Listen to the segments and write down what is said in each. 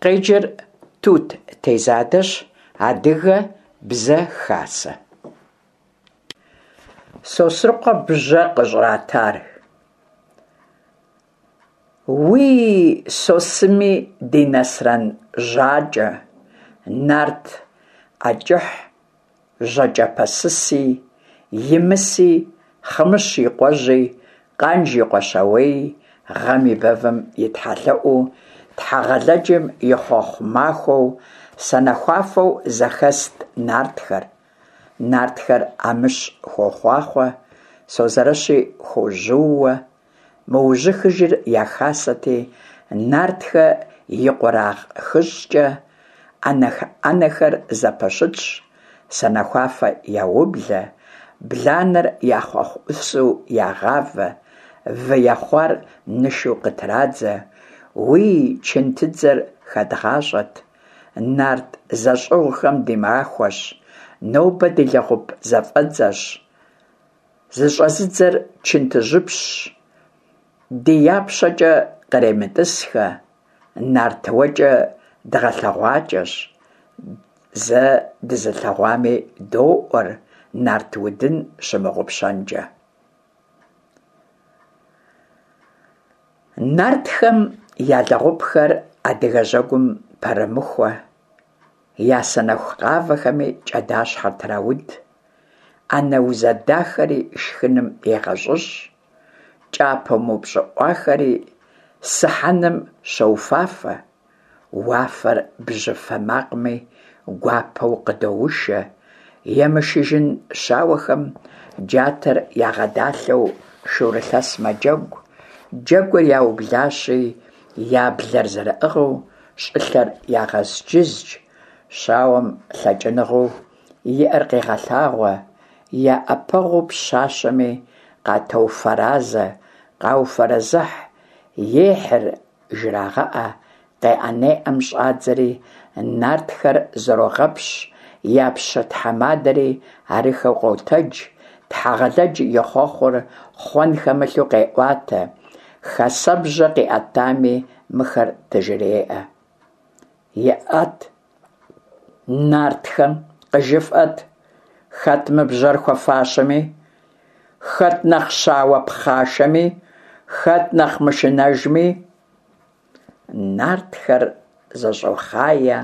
Къеджэр Тут Тезадэщ, Адыгэ Бзэ Хасэ. Сосрыкъуэ бжьэ къыщӏратар. Уий, Сосыми ди Насрэн Жьакӏэ, Нарт ӏэкӏыхь Жьакӏэпэсыси, Имыси, Хъымыщ и къуэжьи, Къанж и къуэ Щауеи, гъэм и бэвым и тхьэлъэӏуу, Тхьэгъэлэджым и хъуэхъу махуэу, санэхуафэу зэхэст нартхэр. Нартхэр Амыщ хуохъуахъуэ, Созэрэщи хуожьууэ, Мыужьыхыжыр я хасэти, Нартхэ и къурагъ хыщӏкӏэ ӏэнэхэр зэпэщытщ, санэхуафэ яублэ, бланэр я хъуэхъу ӏусу ягъавэ, вы ехъуар нышу къытрадзэ, Уий, чынтыдзэр хэдгъащӏэт, нарт зэщӏыгъухэм ди махуэщ, нобэ ди лэгъуп зэфӏэдзэщ, Зыщӏэзыдзэр чынтыжьыпщщ, ди япщэкӏэ къремытӏысхэ, нарт уэкӏэ дгъэлъэгъуакӏэщ, зэ дызылъэгъуами доӏуэр нарт удын щымыгъупщэнкӏэ. Нартхэм я лэгъупхэр адыгэ жьэгум пэрэмыхуэ, Я санэху къавэхэми кӏэдащхьэр трауд, ӏэнэ узэдахэри шхыным егъэщӏыщӏ, кӏапэ мыупщӏыӏуахэри сыхьэным щоуфафэ, уафэр бжьыфэ макъми гуапэу къыдоушэ, емышыжын щауэхэм джатэр ягъэдалъэу шурылъэс мэджэгу, джэгур яублащи, я блэр зэрыӏыгъыу щӏылъэр ягъэзджыздж, щауэм лъэкӏыныгъэу иӏэр къегъэлъагъуэ, я ӏэпэгъуу пщащэми къатоуфэразэ, къауфэрэзыхь, ехьыр жрагъэӏэ, къеӏэ-неӏэм щӏадзэри, нартхэр зэрогъэпщ, я пщы тхьэмадэри арыххэу къотэдж, Тхьэгъэлэдж и хъуэхъур хъуэн хэмылъу къеӏуатэ, хасэбжьэ къиӏэтами мыхэр дыжреӏэ. Иӏэт, нартхэм къыжыфӏэт, хэт мы бжьэр хуэфащэми, хэт нэхъ щауэ пхъашэми, хэт нэхъ мышынэжми. Нартхэр зэщӏохъае,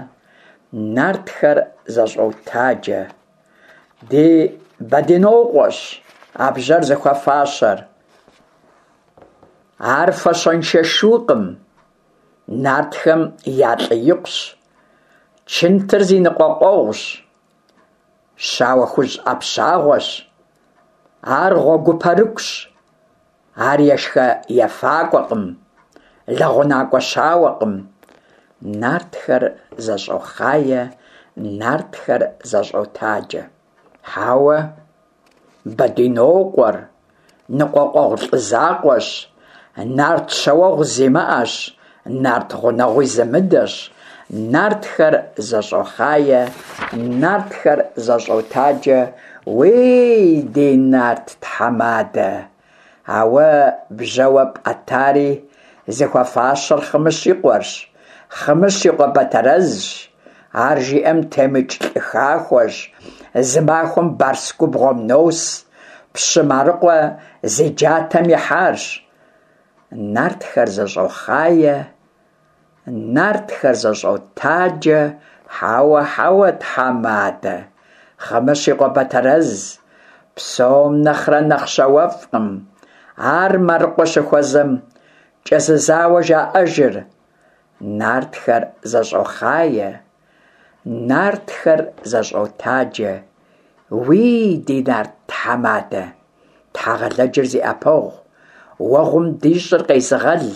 нартхэр зэщӏотаджэ. Ди Бэдынокъуэщ а бжьэр зыхуэфащэр. Ар фащэншэ шукъым, нартхэм я лӏыикъущ, чынтыр зи ныкъуэкъуэгъущ, щауэ хужь ӏэпщагъуэщ, ар гъуэгупэрыкӏущ, ар ешхэ-ефакӏуэкъым, лэгъунакӏуэ щауэкъым. Нартхэр зэщӏохъае, нартхэр зэщӏотаджэ. Хьэуэ, Бэдынокъуэр ныкъуэкъуэгъу лӏы закъуэщ, нарт щауэгъу зимыӏэщ, нарт гъунэгъуи зымыдэщ. Нартхэр зэщӏохъае, нартхэр зэщӏотаджэ, уей, ди нарт тхьэмадэ! А уэ бжьэуэ пӏэтари зыхуэфащэр Хъымыщ и къуэрщ, Хъымыщ и къуэ Бэтэрэзщ. Ар жиӏэм темыкӏ лӏы хахуэщ, зы махуэм Барс губгъуэм нос, пщы Марыкъуэ зи джатэм ихьарщ. Нартхэр зэщӏохъае, Нартхэр зэщӏотаджэ, хьэуэ, хьэуэ, тхьэмадэ, Хъымыщ и къуэ Бэтэрэз, псом нэхърэ нэхъ щауэфӏкъым. Ар Марыкъуэ щыхуэзэм кӏэзызауэ жаӏэжыр. Нартхэр зэщӏохъае, нартхэр зэщӏотаджэ, уий, ди нарт тхьэмадэ, Тхьэгъэлэджыр зи ӏэпэгъу, уэгъум ди щӏыр къезыгъэл,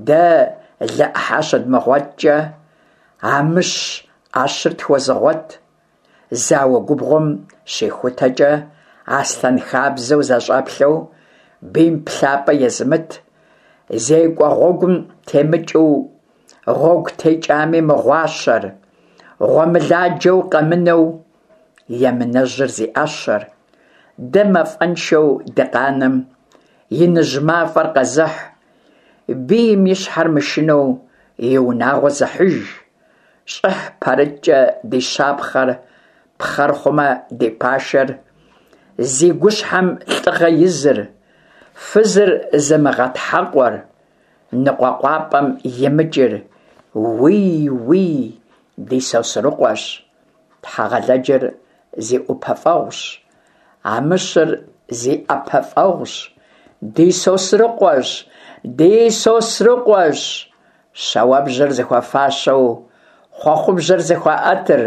Дэ лы ӏыхьэ щыдмыгъуэткӏэ, Амыщ ӏэщыр тхуэзыгъуэт, зауэ губгъуэм щихутэкӏэ, аслъэн хабзэу зэщӏэплъэу, бийм плъапӏэ езымыт, зекӏуэ гъуэгум темыкӏыу, гъуэгу текӏами мыгъуащэр, гъуэмыладжэу къэмынэу, емынэжьыр зи ӏэщэр, дэ мафӏэншэу дыкъанэм, иныжь мафӏэр къэзыхь, бийм и щхьэр мышынэу и унагъуэ зыхьыж. Щӏыхь пэрыткӏэ ди щапхъэр, Пхъэр хъумэ ди пашэр, Зи гущхьэм лӏыгъэ изыр, Фызыр зымыгъэтхьэкъуэр, Ныкъуэкъуапӏэм имыкӏыр, Уий, уий, ди Сосрыкъуэщ. Тхьэгъэлэджыр зи ӏупэфӏэгъущ, Амыщыр зи ӏэпэфӏэгъущ, Ди Сосрыкъуэщ, ди Сосрыкъуэщ. Щауэбжьэр зыхуэфащэу хъуэхъубжьэр зыхуаӏэтыр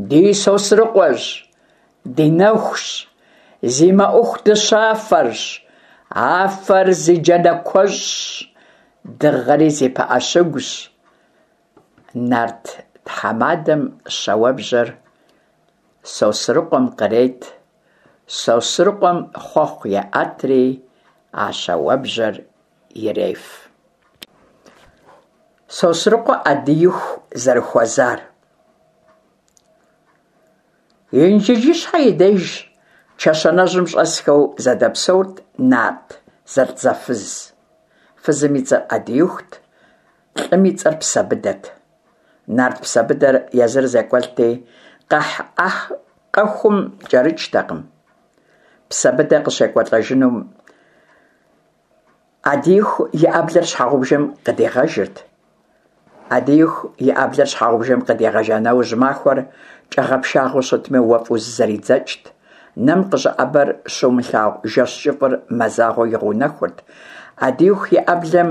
ди Сосрыкъуэщ, ди нэхущ, зи мэӏуху дыщафэрщ, афэр зи джанэ куэщӏщ, дыгъэри зи пыӏэ щыгущ. Нарт тхьэмадэм щауэбжьэр Сосрыкъуэм кърет, Сосрыкъуэм хъуэхъу еӏэтри а щауэбжьэр иреф. Сосрыкъуэ Ӏэдииху зэрыхуэзар. Инжыджыщхьэ и деж чэщанэжьым щӏэсхэу зэдэпсэурт нарт зэлӏзэфыз. Фызым и цӏэр Ӏэдиихут, лӏым и цӏэр Псэбыдэт. Нарт Псэбыдэр езыр зекӏуэлӏти, къэхь-къэхум кӏэрыкӏтэкъым. Псэбыдэ къыщекӏуэлӏэжынум Ӏэдииху и ӏэблэр щхьэгъубжэм къыдигъэжырт. Ӏэдииху и ӏэблэр щхьэгъубжэм къыдигъэжа нэужь махуэр кӏэгъэпшагъэу щытми уэфӏу зызэридзэкӏт. Нэм къыщӏэӏэбэр щумылъагъу жэщ кӏыфӏыр мазагъуэу игъэунэхурт. Ӏэдииху и ӏэблэм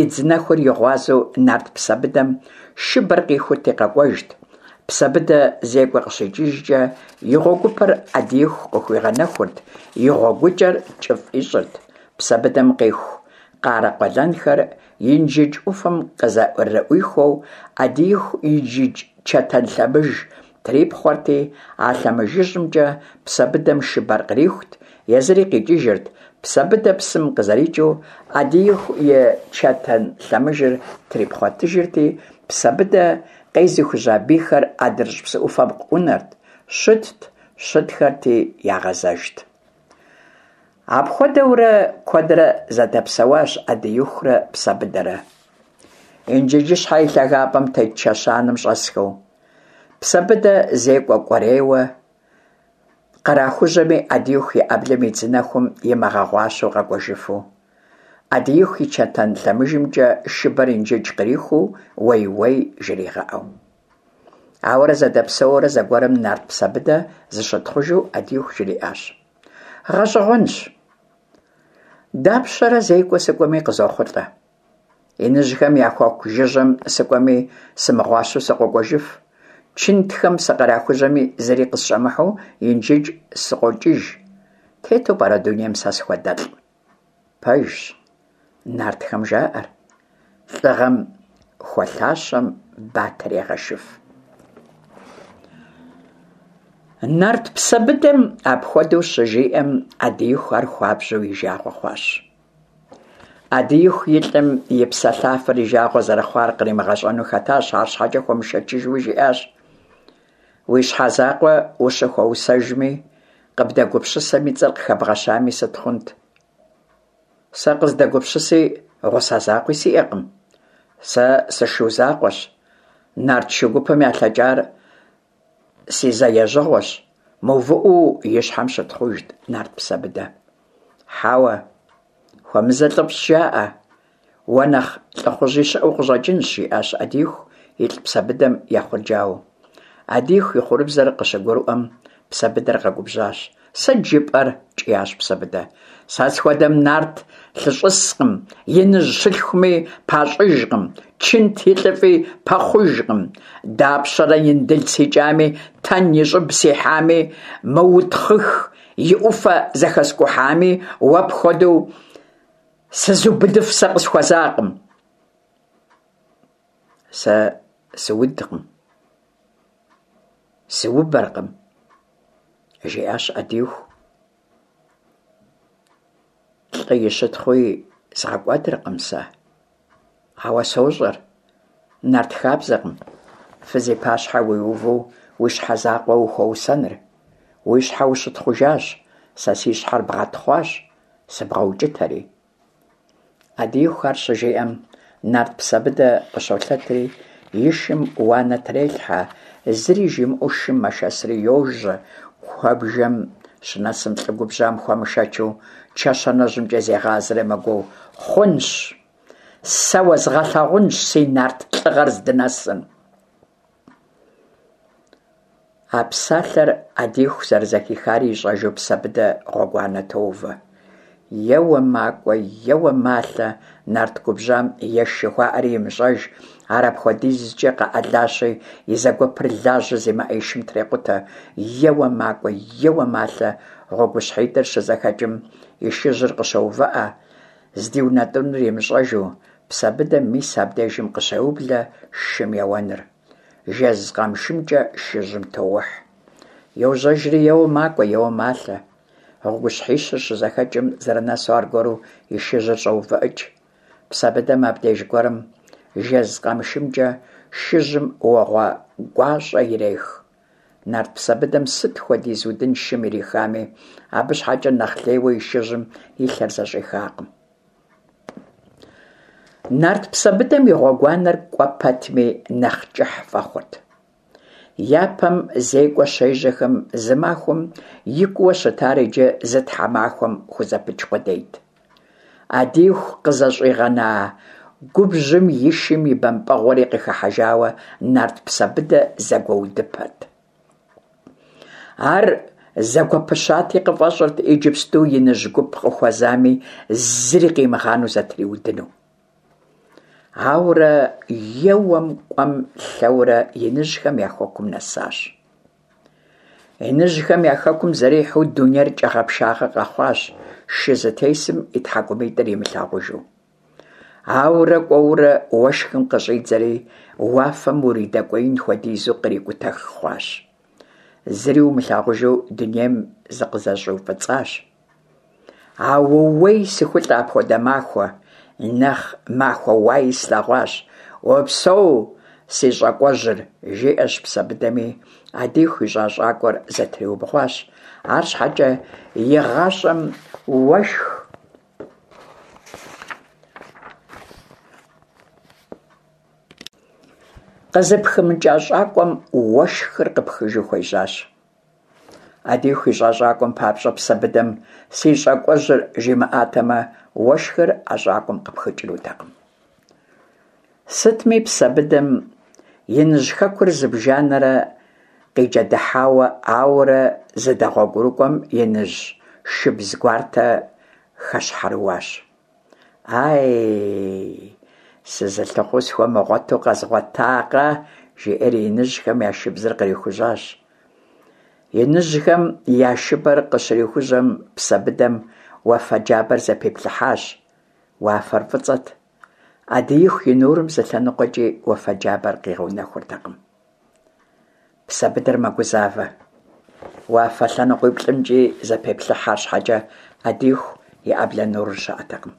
идз нэхур и гъуазэу нарт Псэбыдэм шыбэр къихурти къэкӏуэжт. Псэбыдэ зекӏуэ къыщикӏыжкӏэ и гъуэгупэр Ӏэдииху къыхуигъэнэхурт, и гъуэгукӏэр кӏыфӏ ищӏырт. Псэбыдэм къиху къарэ къуэлэнхэр Инжыдж ӏуфэм къызэрыӏуихуэу, Ӏэдииху Инжыдж чэтэн лъэмыж трипхъуэрти, а лъэмыжыжьымкӏэ Псэбыдэм шыбэр кърихут, езыри къикӏыжырт. Псэбыдэ псым къызэрикӏыу, Ӏэдииху и чэтэн лъэмыжыр трипхъуэтыжырти, Псэбыдэ къезыхужьа бийхэр адрыщӏ псы ӏуфэм къыӏунэрт, щытт, щытхэрти, ягъэзэжт. Апхуэдэурэ куэдрэ зэдэпсэуащ Ӏэдиихурэ Псэбыдэрэ. Инжыджыщхьэ и лъагапӏэм тет чэщанэм щӏэсхэу. Псэбыдэ зекӏуэ кӏуэрейуэ кърахужьэми, Ӏэдииху и ӏэблэм идз нэхум имыгъэгъуащэу къэкӏуэжыфу. Ӏэдииху и чэтэн лъэмыжымкӏэ шыбэр Инжыдж кърихуу уей-уей жригъэӏэу. Ауэрэ зэдэпсэуурэ зэгуэрым нарт Псэбыдэ зыщытхъужу Ӏэдииху жриӏащ. Гъэщӏэгъуэнщ. Дапщэрэ зекӏуэ сыкӏуэми къызохъулӏэ. Иныжьхэм я хэку жыжьэм сыкӏуэми сымыгъуащэу сыкъокӏуэжыф. Чынтхэм сыкърахужьэми зыри къысщӏэмыхьэу Инжыдж сыкъокӏыж. Тету пӏэрэ дунейм сэ схуэдэлӏ? Пэжщ, нартхэм жаӏэр, лӏыгъэм хуэлъащэм батэр егъэшыф. Нарт Псэбыдэм апхуэдэу щыжиӏэм, Ӏэдииху ар хуабжьу и жагъуэ хъуащ. Ӏэдииху и лӏым и псэлъафэр и жагъуэ зэрыхъуар къримыгъэщӏэну хэтащ, арщхьэкӏэ хуэмышэчыжуи жиӏащ. Уи щхьэ закъуэ ущыхуэусэжми, къыбдэгупсысэм и цӏэр къыхэбгъэщами сыт хъунт? Сэ къыздэгупсыси гъусэ закъуи сиӏэкъым. Сэ сышу закъуэщ. Нарт шу гупым ялъэкӏар си зэ ежьэгъуэщ, мыувыӏэу и щхьэм щытхъужт нарт Псэбыдэ. Хьэуэ, хуэмызэ лӏыфӏщ жаӏэ. Уэ нэхъ лӏыхъужьи щыӏэу къыщӏэкӏынщ, жиӏащ Ӏэдииху илӏ Псэбыдэм ехъурджауэу. Ӏэдииху и хъурыбзэр къыщыгурыӏуэм, Псэбыдэр къэгубжьащ. Сыт жыпӏэр? кӏиящ Псэбыдэ. Сэ схуэдэм нарт лъыщӏыскъым, иныжь щылъхуми пащӏыжкъым, чынт и лӏыфӏи пэхъужкъым. Дапщэрэ Индыл сикӏами, Тэн и щӏыб сихьами, Мыутхъых и ӏуфэ зэхэскӏухьами, уэ пхуэдэу Сызубыдыф сэ къысхуэзакъым. Сэ сыудкъым, сыубэркъым, жиӏащ Ӏэдииху. Лӏы и щытхъуи згъэкӏуэдыркъым сэ. Ауэ сощӏэр, нарт хабзэкъым фыз и пащхьэ уиувэу уи щхьэ закъуэ ухуэусэныр. Уи щхьэ ущытхъужащ, сэ си щхьэр бгъэтхъуащ, сыбгъэукӏытэри. Ӏэдииху ар щыжиӏэм, нарт Псэбыдэ къыщолъэтри, и шым уанэ трелъхьэ, зыри жимыӏэу шым мэшэсри йожьэ. Куэбжэм щынэсым лӏы губжьам хуэмышэчу чэщанэжьымкӏэ зегъазэри мэгуо: Хъунщ! Сэ уэзгъэлъагъунщ си нарт лӏыгъэр здынэсым! А псалъэр Ӏэдииху зэрызэхихари ищӏэжу Псэбыдэ гъуэгуанэ тоувэ. Еуэ макӏуэ, еуэ малъэ, нарт губжьам еш жыхуаӏэри имыщӏэж, ар апхуэдизкӏэ къэӏэлащи, и зэгуэпыр лажьэ зимыӏэ и шым трекъутэ. Еуэ макӏуэ, еуэ малъэ, гъуэгущхьитӏыр щызэхэкӏым и шыжьыр къыщоувыӏэ, здиунэтӏынур имыщӏэжу, Псэбыдэм мис абдежым къыщеублэ шым еуэныр. Жэз къамышымкӏэ шыжьым тоухь. Йожьэжри еуэ макӏуэ, еуэ малъэ. Гъуэгущхьищыр щызэхэкӏым зэрынэсу аргуэру и шыжьыр щӏоувыӏыкӏ. Псэбыдэм абдеж гуэрым жэз къамышымкӏэ шыжьым уэгъуэ гуащӏэ ирех. Нарт Псэбыдэм сыт хуэдиз удын шым ирихами, абы щхьэкӏэ нэхъ лейуэ и шыжьым и лъэр зэщӏихакъым. Нарт Псэбыдэм и гъуэгуанэр кӏуэ пэтми нэхъ кӏыхь фӏэхъурт. Япэм зекӏуэ щежьэхэм зы махуэм икӏууэ щытар иджы зы тхьэмахуэм хузэпыч къудейт. Ӏэдииху къызэщӏигъэна губжьым и шым и бэмпӏэгъуэри къыхыхьэжауэ нарт Псэбыдэ зэгуэудыпэрт. Ар зэгуэпыщати, къыфӏэщӏырт иджыпсту иныжь гуп къыхуэзами, зыри къимыгъанэу зэтриудыну. Ауэрэ еуэм кӏуэм лъэурэ иныжьхэм я хэкум нэсащ. Иныжьхэм я хэкум зэрихьэу дунейр кӏэгъэпшагъэ къэхъуащ, шы зытесым и тхьэкӏумитӏыр имылъагъужу. Ауэрэ кӏуэурэ уэшхым къыщӏидзэри, уафэм уридэкӏуеин хуэдизу кърикӏутэх хъуащ. Зыри умылъагъужу дунейм зыкъызэщӏиуфӏыцӏащ. Аууей, сыхулӏэ апхуэдэ махуэ, нэхъ махуэ уаи слъэгъуащ. Упсэу, си щӏакӏуэжьыр, жиӏэщ Псэбыдэми, Ӏэдииху ищӏа щӏакӏуэр зэтриубгъуащ. Арщхьэкӏэ игъащӏэм уэшх къызыпхымыкӏа щӏакӏуэм уэшхыр къыпхыжу хуежьащ. Ӏэдииху ищӏа щӏакӏуэм папщӏэ Псэбыдэм си щӏакӏуэжьыр жимыӏатэмэ, уэшхыр а щӏакӏуэм къыпхыкӏынутэкъым. Сытми, Псэбыдэм иныжь хэкур зыбжанэрэ къиджэдыхьауэ, ауэрэ зыдэгъуэгурыкӏуэм иныжь шыбз гуартэ хэщхьэрыуащ. Ай, сызылъыхъуу схуэмыгъуэту къэзгъуэтакъэ, жиӏэри иныжьхэм я шыбзыр кърихужьащ. Иныжьхэм я шыбэр къыщрихужьэм, Псэбыдэм уафэ джабэр зэпиплъыхьащ. Уафэр фӏыцӏэт. Ӏэдииху и нурым зы лъэныкъуэкӏи уафэ джабэр къигъэунэхуртэкъым. Псэбыдэр мэгузавэ. Уафэ лъэныкъуиплӏымкӏи зэпеплъыхь, арщхьэкӏэ Ӏэдииху и ӏэблэ нурыр щыӏэтэкъым.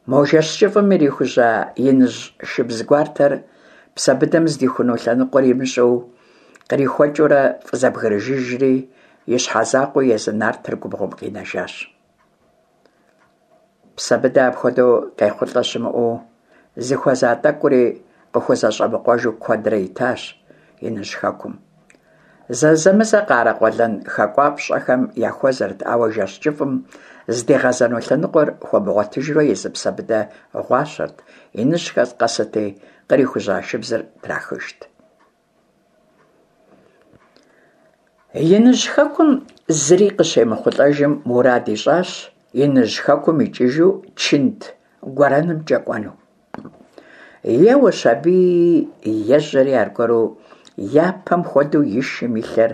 Мо жэщ кӏыфӏым ирихужьа иныжь шыбз гуартэр Псэбыдэм здихуну лъэныкъуэр имыщӏэу кърихуэкӏыурэ фӏызэбгрыжыжри, и щхьэ закъуэу езы нартыр губгъуэм къинэжащ. Псэбыдэ апхуэдэу къехъулӏэ щымыӏэу, зыхуэза тӏэкӏури къыхузэщӏэмыкъуэжу куэдрэ итащ иныжь хэкум. Зэзэмызэ къарэкъуэлэн хакӏуапщӏэхэм яхуэзэрт, ауэ жэщ кӏыфӏым здигъэзэну лъэныкъуэр хуэмыгъуэтыжурэ езы Псэбыдэ гъуащэрт, иныжьхэр къэсырти, кърихужьа шыбзыр трахыжт. Иныжь хэкум зыри къыщемыхъулӏэжым мурад ищӏащ иныжь хэкум икӏыжу чынт гуэрэнымкӏэ кӏуэну. Еуэщ аби, ежьэри аргуэру япэм хуэдэу и шым и лъэр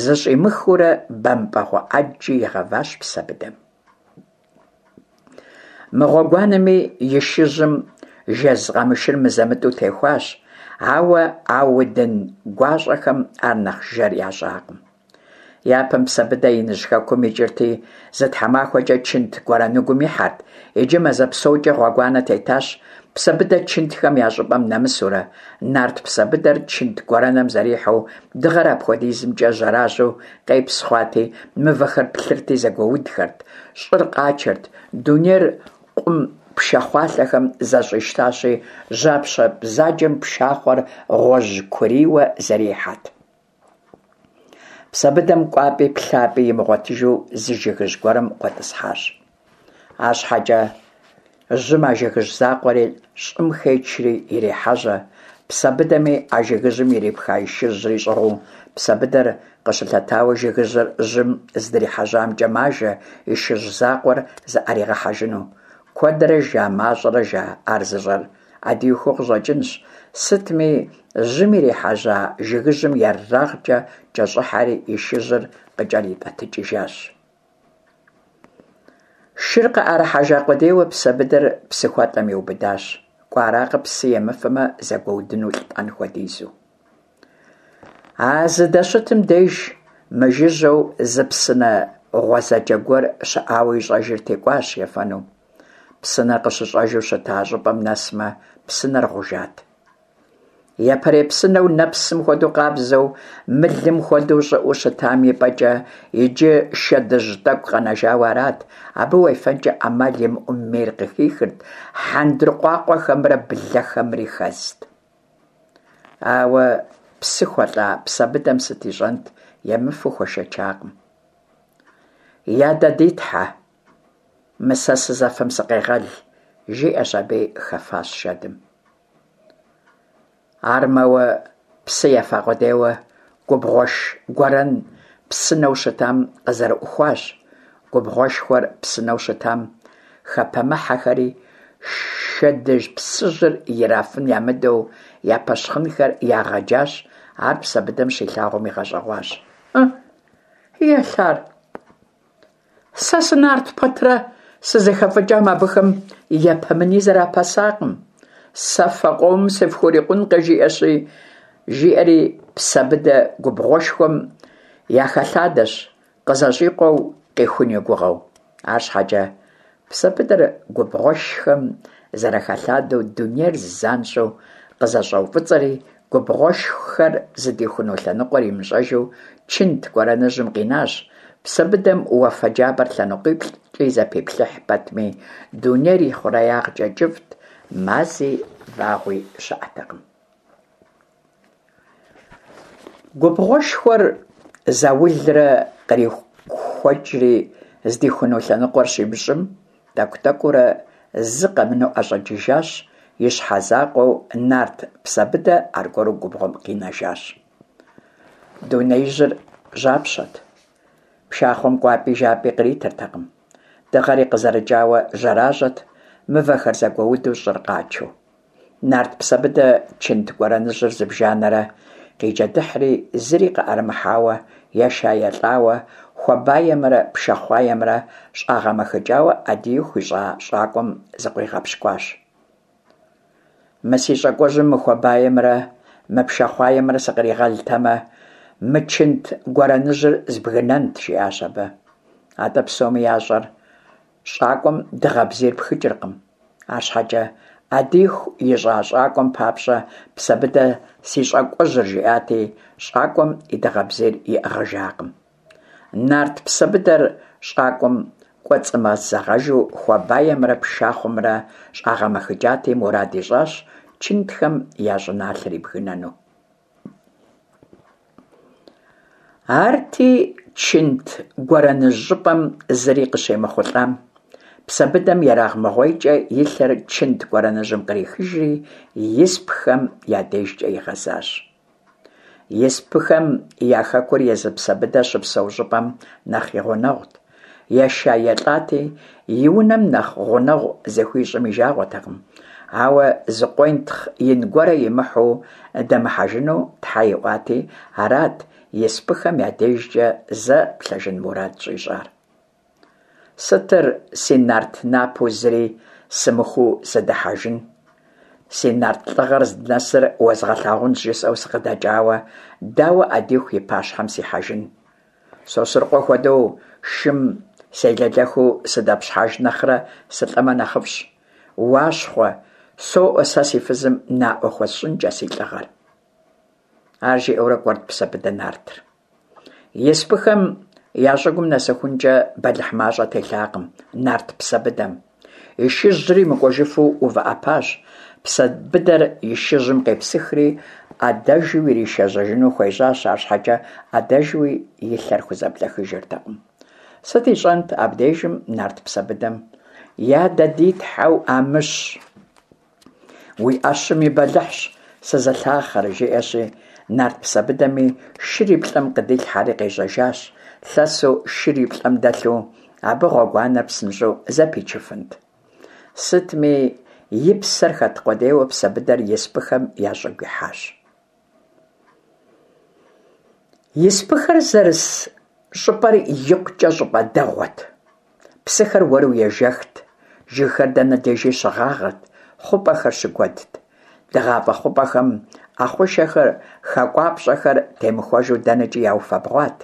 зыщӏимыхыурэ бэмпӏэгъуэ ӏэджи игъэващ Псэбыдэм. Мы гъуэгуанэми и шыжьым жэз къамышыр мызэ-мытӏэу техуащ, ауэ а удын гуащӏэхэм ар нэхъ жэр ящӏакъым. Япэм Псэбыдэ иныжь хэкум икӏырти, зы тхьэмахуэкӏэ чынт гуэрэныгум ихьэрт, иджы мазэ псокӏэ гъуэгуанэ тетащ Псэбыдэ чынтхэм я щӏыпӏэм нэмысурэ. Нарт Псэбыдэр чынт гуэрэным зэрихьэу, дыгъэр апхуэдизымкӏэ жьэражьэу къепс хъуати, мывэхэр плъырти зэгуэудхэрт, щӏыр къачэрт, дунейр къум пшахъуалъэхэм зэщӏищтащи, жьапщэ бзаджэм пшахъуэр гъуэжькурийуэ зэрихьэрт. Псэбыдэм кӏуапӏи плъапӏи имыгъуэтыжу зы жыгыжь гуэрым къуэтӏысхьащ. Арщхьэкӏэ жьым а жыгыжь закъуэри щӏым хечри ирехьэжьэ. Псэбыдэми а жыгыжьым ирипха и шыжьри щӏыгъуу, Псэбыдэр къыщылъэтауэ жыгыжьыр жьым здрихьэжьамкӏэ мажэ и шыжь закъуэр зыӏэригъэхьэжыну. Куэдрэ жа, мащӏэрэ жа ар зыщӏэр Ӏэдиихуу къыщӏэкӏынщ. Сытми, жьым ирихьэжьа жыгыжьым ерагъкӏэ кӏэщӏыхьэри и шыжьыр къыкӏэритӏэтыкӏыжащ. Шыр къыӏэрыхьэжа къудейуэ Псэбыдэр псыхуэлӏэм иубыдащ. Кӏуэаракъэ псы емыфэмэ, зэгуэудыну лӏэн хуэдизу. А зыдэщытым деж мыжыжьэу зы псынэ гъуэзэджэ гуэр щыӏауэ ищӏэжырти, кӏуащ ефэну. Псынэр къыщыщӏэжу щыта щӏыпӏэм нэсмэ, псынэр гъужат. Япэрей псынэу нэпсым хуэдэу къабзэу, мылым хуэдэу щӏыӏэу щытам и пӏэкӏэ иджы шэдыжь тӏэкӏу къэнэжауэ арат, абы уефэнкӏэ ӏэмал имыӏэу мейр къыхихырт, хьэндыркъуакъуэхэмрэ блэхэмри хэзт. Ауэ псы хуэлӏа Псэбыдэм сыт ищӏэнт, емыфэу хуэшэчакъым. Я дэ ди Тхьэ, мы сэ сызэфэм сыкъегъэл, жиӏэщ аби хэфащ шэдым. Ар мэуэ псы ефа къудейуэ губгъуэш гуэрэн псынэу щытам къызэрыӏухуащ. Губгъуэшхуэр псынэу щытам хэпэмыхьэхэри, шэдыжь псыжьыр ирафын ямыдэу я пэщхъынхэр ягъэджащ, ар Псэбыдэм щилъагъум игъэщӏэгъуащ. Ы, елъар! Сэ сынарт пэтрэ сызэхэфӏыкӏам абыхэм япэмыни зэрапэсакъым. Сэ фэ къомым сыфхурикъункъэ, жиӏэщи, жиӏэри Псэбыдэ губгъуэшхуэм яхэлъадэщ, къызэщӏикъуэу къихун и гугъэу. Арщхьэкӏэ Псэбыдэр губгъуэшхэм зэрахэлъадэу дунейр занщӏэу къызэщӏэуфӏыцӏэри, губгъуэшхэр зыдихуну лъэныкъуэр имыщӏэжу чынт гуэрэныжьым къинащ. Псэбыдэм уафэ джабэр лъэныкъуиплӏкӏи зэпиплъыхь пэтми, дунейр ихъуреягъкӏэ кӏыфӏт, мази вагъуи щыӏэтэкъым. Губгъуэшхуэр заулрэ кърихуэкӏри, здихуну лъэныкъуэр щимыщӏым, тӏэкӏу-тӏэкӏуурэ зы къэмынэу ӏэщӏэкӏыжащ, и щхьэ закъуэу нарт Псэбыдэ аргуэру губгъуэм къинэжащ. Дунеижьыр жьапщэт. Пшахъуэм кӏуапӏи жапӏи къритыртэкъым. Дыгъэри къызэрыкӏауэ жьэражьэт, мывэхэр зэгуэуду щӏыр къачэу. Нарт Псэбыдэ чынт гуэрэныжьыр зыбжанэрэ къиджэдыхьри, зыри къыӏэрымыхьауэ, еша-елӏауэ, хуабаемрэ пшахъуаемрэ щӏагъэмэхыкӏауэ Ӏэдииху ищӏа щӏакӏуэм зыкъуигъэпщкӏуащ. Мы си щӏакӏуэжьым мы хуабаемрэ мы пшахъуаемрэ сыкъригъэлтэмэ, мы чынт гуэрэныжьыр збгынэнт, жиӏащ абы. Атӏэ псоми ящӏэр Щӏакӏуэм дыгъэ бзийр пхыкӏыркъым. Арщхьэкӏэ Ӏэдииху ищӏа щӏакӏуэм папщӏэ Псэбыдэ си щӏакӏуэжьыр жиӏати, щӏакӏуэм и дыгъэ бзийр иӏыгъыжакъым. Нарт Псэбыдэр щӏакӏуэм кӏуэцӏымызэгъэжу хуабаемрэ пшахъуэмрэ щӏагъэмэхыкӏати, мурад ищӏащ чынтхэм я щӏыналъэр ибгынэну. Арти, чынт гуэрэныжь щӏыпӏэм зыри къыщемыхъулӏам, Псэбыдэм ерагъмыгъуейкӏэ и лъэр чынт гуэрэныжьым кърихыжри, испыхэм я дежкӏэ игъэзащ. Испыхэм я хэкур езы Псэбыдэ щыпсэу щӏыпӏэм нэхъ и гъунэгъут. Еша-елӏати, и унэм нэхъ гъунэгъу зыхуищӏым и жагъуэтэкъым, ауэ зы къуентхъ ин гуэрэ имыхьу дэмыхьэжыну тхьэ иӏуати, арат испыхэм я дежкӏэ зэ плъэжын мурад щӏищӏар. Сытыр си нарт напэу зыри сымыхуу сыдыхьэжын? Си нарт лӏыгъэр здынэсыр уэзгъэлъагъунщ жысӏэу сыкъыдэкӏауэ, дауэ ӏэдииху и пащхьэм сихьэжын? Сосрыкъуэ хуэдэу шым селэлэхыу сыдэпщхьэж нэхърэ сылӏэмэ нэхъыфӏщ. Уащхъуэ, соӏуэ сэ си фызым наӏуэ хуэсщӏынкӏэ си лӏыгъэр. Ар жиӏэурэ кӏуэрт Псэбыдэ нартыр. Испыхэм я щӏыгум нэсыхункӏэ бэлыхь мащӏэ телъакъым нарт Псэбыдэм. И шыжьри мыкӏуэжыфу увыӏэпащ. Псэбыдэр и шыжьым къепсыхри, ӏэдэжу иришэжьэжыну хуежьащ, арщхьэкӏэ ӏэдэжуи и лъэр хузэблэхыжыртэкъым. Сыт ищӏэнт абдежым нарт Псэбыдэм? Я дэ ди тхьэу Амыщ! Уи ӏэщым и бэлыхьщ сызылъахъэр, жиӏэщи, нарт Псэбыдэми шыр и плӏэм къыдилъхьэри къежьэжащ. Лъэсу шыр и плӏэм дэлъу абы гъуэгуанэр псынщӏэу зэпичыфынт. Сытми, и псэр хэт къудейуэ Псэбыдэр испыхэм я щӏыгу ихьащ. Испыхэр зэрыс щӏыпӏэр икъукӏэ щӏыпӏэ дэгъуэт. Псыхэр уэру ежэхт, жыгхэр дэнэ дежи щыгъагъэрт, хъупӏэхэр щыкуэдт. Дыгъафӏэ хъупӏэхэм ӏэхъушэхэр, хакӏуапщӏэхэр темыхуэжу дэнэкӏи яуфэбгъуат.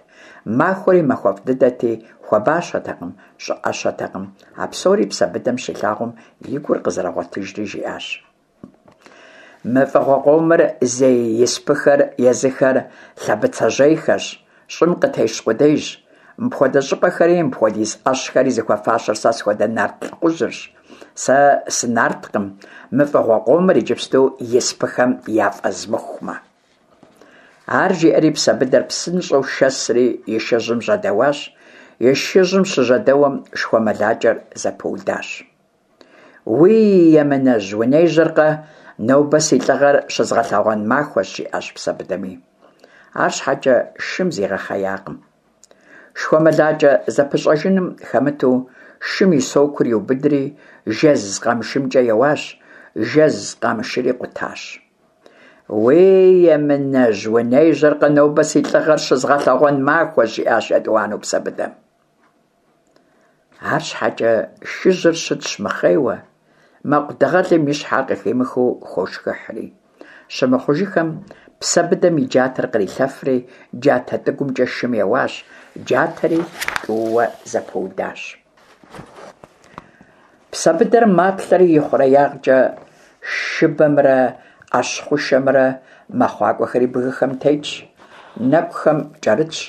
Махуэри махуэфӏ дыдэти, хуабащэтэкъым, щӏыӏэщэтэкъым. А псори Псэбыдэм щилъагъум и гур къызэрыгъуэтыжри жиӏащ. Мы фӏыгъуэ къомыр зей испыхэр езыхэр лъэбыцэжьейхэщ, щӏым къытещ къудейщ. Мыпхуэдэ щӏыпӏэхэри мыпхуэдиз ӏэщхэри зыхуэфащэр сэ схуэдэ нарт лӏыхъужьырщ. Сэ сынарткъым, мы фӏыгъуэ къомыр иджыпсту испыхэм яфӏэзмыхумэ. Ар жиӏэри Псэбыдэр псынщӏэу шэсри и шыжьым жьэдэуащ, и шыжьым щыжьэдэуэм шхуэмылакӏэр зэпыудащ. Уий, емынэжь, унежьэркъэ, нобэ си лӏыгъэр щызгъэлъэгъуэн махуэщ, жиӏащ Псэбыдэми. Арщхьэкӏэ шым зигъэхъеякъым. Шхуэмылакӏэ зэпыщӏэжыным хэмыту, шым и сокур иубыдри, жэз къамышымкӏэ еуащ, жэз къамышыри къутащ. Уей, емынэжь, унежьэркъэ, нобэ си лӏыгъэр щызгъэлъэгъуэн махуэщ, жиӏащ етӏуанэу Псэбыдэм. Арщхьэкӏэ шыжьыр щытщ мыхъейуэ, мэкъу дыгъэлым и щхьэр къыхимыхыу хошхыхьри. Щымыхъужыхэм, Псэбыдэм и джатэр кърилъэфри, джатэ тӏыгумкӏэ шым еуащ, джатэри тӏууэ зэпыудащ. Псэбыдэр маплъэри ихъуреягъкӏэ шыбэмрэ ӏэщ хъушэмрэ мэхъуакӏуэхэри бгыхэм тетщ, нэкӏухэм кӏэрытщ.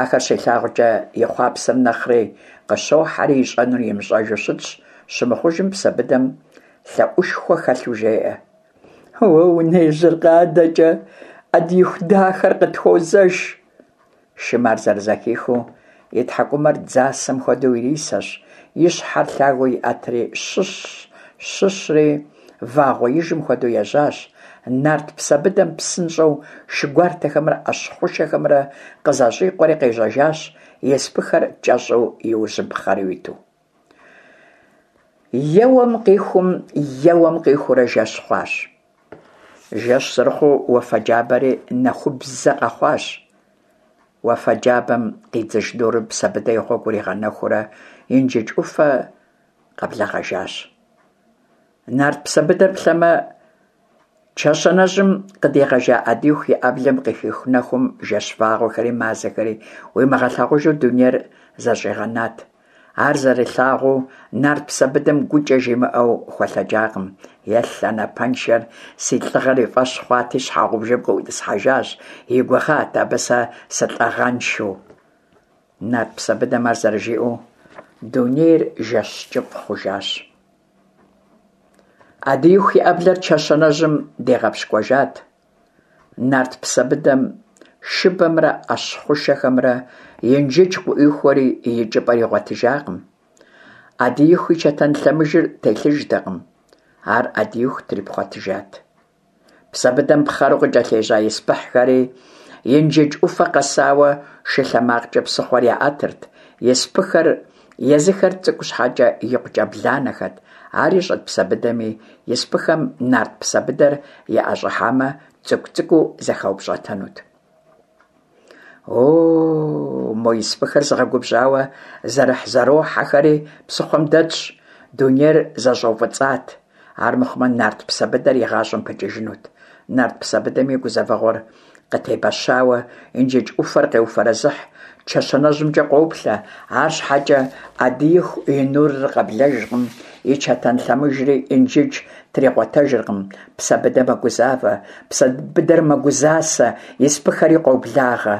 Ахэр щилъагъукӏэ и хъуапсэм нэхъри къыщохьэри ищӏэнур имыщӏэжу щытщ, щымыхъужым Псэбыдэм лъэӏушхуэ хэлъу жеӏэ. Уэ унежьэркъэ адэкӏэ, ӏэдииху дахэр къытхуозэш. Шым ар зэрызэхихыу и тхьэкӏумэр дзасэм хуэдэу ирисэщ, и щхьэр лъагэу иӏэтри щыщ, щыщри вагъуэижым хуэдэу ежьащ. Нарт Псэбыдэм псынщӏэу шы гуартэхэмрэ ӏэщ хъушэхэмрэ къызэщӏикъуэри къежьэжащ, испыхэр кӏэщӏу и ужьым пхъэру иту. Еуэм къихум, еуэм къихуурэ жэщ хъуащ. Жэщ зэрыхъуу уафэ джабэри нэхубзэ къэхъуащ. Уафэ джабэм къидзыж нурым Псэбыдэ и гъуэгур игъэнэхуурэ Инжыдж ӏуфэ къэблэгъэжащ. Нарт Псэбыдэр плъэмэ, чэщанэжьым къыдигъэжа Ӏэдииху и ӏэблэм къыхих нэхум жэщ вагъуэхэри мазэхэри уимыгъэлъагъужу дунейр зэщӏигъэнат. Ар зэрилъагъуу, нарт Псэбыдэм гукӏэ жимыӏэу хуэлъэкӏакъым. Елъ, а напэншэр си лӏыгъэр и фӏэщ хъуати, щхьэгъубжэм къыӏутӏысхьэжащ, и гугъат абы сэ сылӏыгъэншэу. Нарт Псэбыдэм ар зэрыжиӏэу, дунейр жэщ кӏыфӏ хъужащ. Ӏэдииху и ӏэблэр чэщанэжьым дигъэпщкӏуэжат. Нарт Псэбыдэм шыбэмрэ ӏэщ хъушэхэмрэ Инжыдж къыӏуихуэри и икӏыпӏэр игъуэтыжакъым. Ӏэдииху и чэтэн лъэмыжыр телъыжтэкъым. Ар Ӏэдииху трипхъуэтыжат. Псэбыдэм пхъэру къыкӏэлъежьа испыхьхэри Инжыдж ӏуфэ къэсауэ шы лъэ макъкӏэ псыхъуэр яӏэтырт. Испыхэр езыхэр цӏыкӏу щхьэкӏэ икъукӏэ бланэхэт. Ар ищӏэт Псэбыдэми, испыхэм нарт Псэбыдэр яӏэщӏыхьамэ, цӏыкӏу-цӏыкӏуу зэхаупщӏэтэнут. О, мо испыхэр зыгъэгубжьауэ зэрыхь-зэрохьэхэри псыхъуэм дэтщ, дунейр зэщӏэуфӏыцӏат, армыхъумэ нарт Псэбыдэр и гъащӏэм пыкӏыжынут. Нарт Псэбыдэми гузэвэгъуэр къытебэщауэ Инжыдж ӏуфэр къеуфэрэзыхь, чэщанэжьымкӏэ къоплъэ, арщхьэкӏэ Ӏэдииху и нурыр къэблэжкъым, и чэтэн лъэмыжри Инжыдж тригъуэтэжыркъым. Псэбыдэ мэгузавэ, Псэбыдэр мэгузасэ, испыхэри къоблагъэ.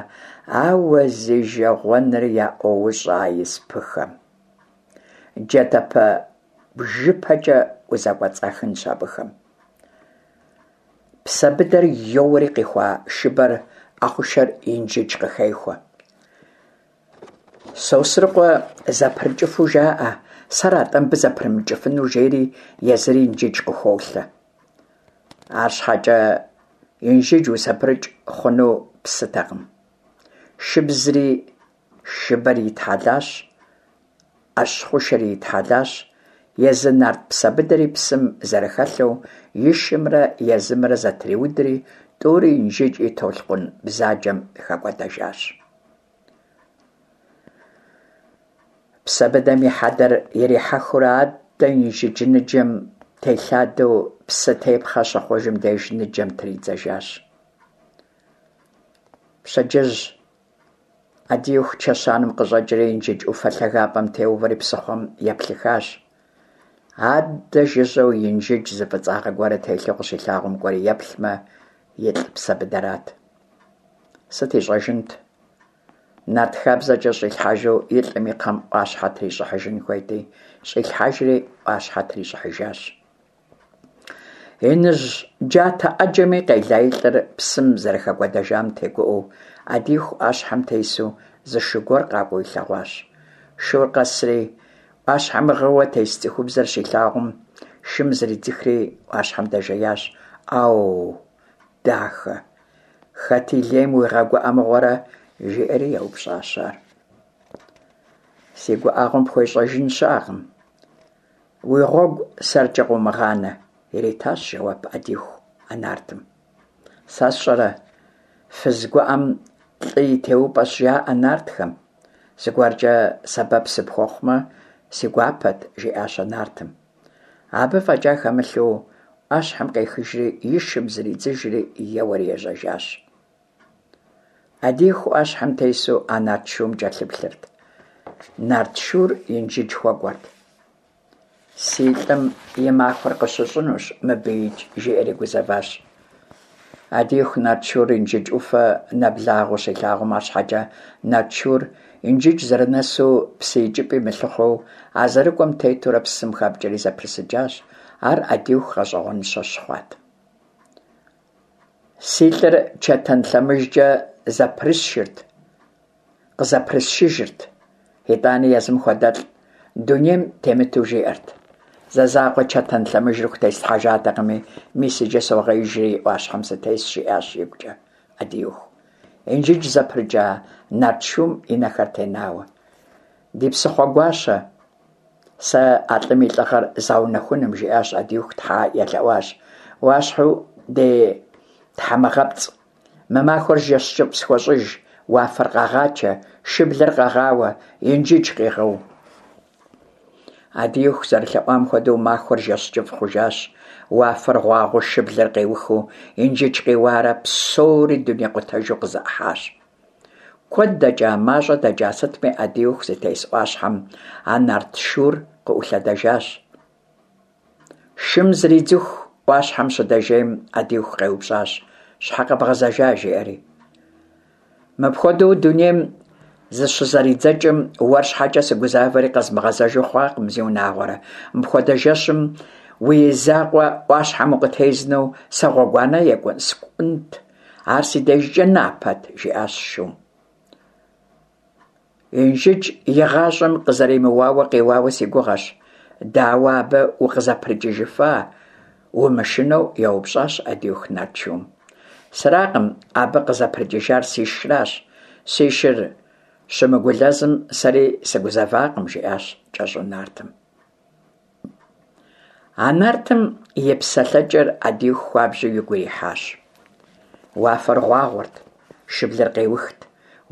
Ауэ зи жэгъуэныр яӏуоущӏэ а испыхэм. Джатэпэ. Бжыпэкӏэ узэкӏуэцӏахынщ абыхэм. Псэбыдэр йоуэри къихуа шыбэр ӏэхъушэр Инжыдж къыхехуэ. Сосрыкъуэ зэпрыкӏыфу жаӏэ, сэра-тӏэ мыбы зэпрымыкӏыфынур, жери езыри Инжыдж къыхолъэ. Арщхьэкӏэ Инжыдж узэпрыкӏ хъуну псытэкъым. Шыбзри шыбэри итхьэлащ, ӏэщ хъушэри итхьэлащ, езы нарт Псэбыдэри псым зэрыхэлъэу и шымрэ езымрэ зэтриудри, тӏури Инжыдж и толъкъун бзаджэм хэкӏуэдэжащ. Псэбыдэм и хьэдэр ирихьэхыурэ аддэ Инжыдж ныджэм телъадэу псы тепхъэ щыхъужым деж ныджэм тридзэжащ. Пщэдджыжь Ӏэдииху чэщанэм къыщӏэкӏри Инжыдж ӏуфэ лъагапӏэм теувэри псыхъуэм еплъыхащ. Аддэ жыжьэу Инжыдж зы фӏыцӏагъэ гуэрэ телъу къыщилъагъум кӏуэри еплъмэ, илӏ Псэбыдэрат. Сыт ищӏэжынт? Нарт хабзэкӏэ щӏилъхьэжу и лӏым и кхъэм ӏуащхьэ трищӏыхьыжын хуейти, щӏилъхьэжри ӏуащхьэ трищӏыхьыжащ. Иныжь джатэ ӏэджэми къела и лӏыр псым зэрыхэкӏуэдэжам тегуӏэу, Ӏэдииху ӏуащхьэм тесу зы шу гуэр къакӏуэу илъэгъуащ. Шур къэсри, ӏуащхьэм гъыуэ тес цӏыхубзыр щилъагъум, шым зридзыхри ӏуащхьэм дэжеящ. Ӏэу, дахэ, хэт и лейм уигъэгуӏэ мыгъуэрэ? жиӏэри еупщӏащ ар. Си гуӏэгъуэм пхуещӏэжын щыӏэкъым. Уи гъуэгу сэркӏэ къыумыгъанэ, иритащ жэуап Ӏэдииху а нартым. Сэ сщӏэрэ, фыз гуӏэм лӏы и теупӏэщ, жаӏэ нартхэм. Зыгуэркӏэ сэбэп сыпхуэхъумэ, си гуапэт, жиӏащ а нартым. Абы фӏэкӏа хэмылъу, ӏуащхьэм къехыжри, и шым зридзыжри, еуэри ежьэжащ. Ӏэдииху ӏуащхьэм тесу а нарт шум кӏэлъыплъырт. Нарт шур Инжыдж хуэкӏуэрт. Си лӏым и махуэр къыщыщӏынущ мыбыикӏ, жиӏэри гузэващ. Ӏэдииху нарт шур Инжыдж ӏуфэ нэблагъэу щилъагъум, арщхьэкӏэ нарт шур Инжыдж зэрынэсу псы икӏыпӏи мылъыхъуэу, а зэрыкӏуэм тетурэ псым хэпкӏэри зэпрысыкӏащ. Ар Ӏэдииху гъэщӏэгъуэныщэ щыхъуат. Си лӏыр чэтэн лъэмыжкӏэ зэпрысшырт, къызэпрысшыжырт, итӏани езым хуэдэлӏ дунейм темыту жиӏэрт. Зэ закъуэ чэтэн лъэмыжыр хутеслъхьэжатэкъыми, мис иджы согъеижри ӏуащхьэм сытесщ, жиӏащ игукӏэ Ӏэдииху. Инжыдж зэпрыкӏа нарт шум и нэхэр тенауэ. Ди псыхъуэ гуащэ, Сэ а лӏым и лӏыгъэр згъэунэхуным, жиӏащ Ӏэдииху, тхьэ елъэӏуащ. Уащхьэу ди тхьэмыгъэпцӏ, мы махуэр жэщ кӏыфӏ схуэщӏыж, уафэр къэгъачэ, шыблэр къэгъауэ, Инжыдж къигъэу. Ӏэдииху зэрылъэӏуам хуэдэу махуэр жэщ кӏыфӏ хъужащ, уафэр гъуагъуэу шыблэр къеухыу, Инжыдж къиуарэ псори дунейкъутэжу къызэӏыхьащ. Куэд дэкӏа, мащӏэ дэкӏа сытми Ӏэдииху зытес ӏуащхьэм а нарт шур къыӏулъэдэжащ. Шым зридзыху ӏуащхьэм щыдэжейм Ӏэдииху къеупщӏащ, щхьэ къэбгъэзэжа, жиӏэри. Мыпхуэдэу дунейм зыщызэридзэкӏым уэр щхьэкӏэ сыгузавэри къэзмыгъэзэжу хъуакъым, зиунагъуэрэ. Мыпхуэдэ жэщым уи закъуэ ӏуащхьэм укъытезнэу сэ гъуэгуанэ екӏун скӏунт. Ар си дежкӏэ напэт, жиӏащ шум. Инжыдж игъащӏэм къызэремыуауэ къиуауэ си гугъэщ. Дауэ абы укъызэпрыкӏыжыфа? Умышынэу еупщӏащ Ӏэдииху нарт шум. Сэракъым абы къызэпрыкӏыжар си шыращ. Си шыр щымыгулэзым сэри сыгузэвакъым, жиӏащ кӏэщӏу нартым. А нартым и псэлъэкӏэр Ӏэдииху хуабжьу игу ирихьащ. Уафэр гъуагъуэрт, шыблэр къеухт,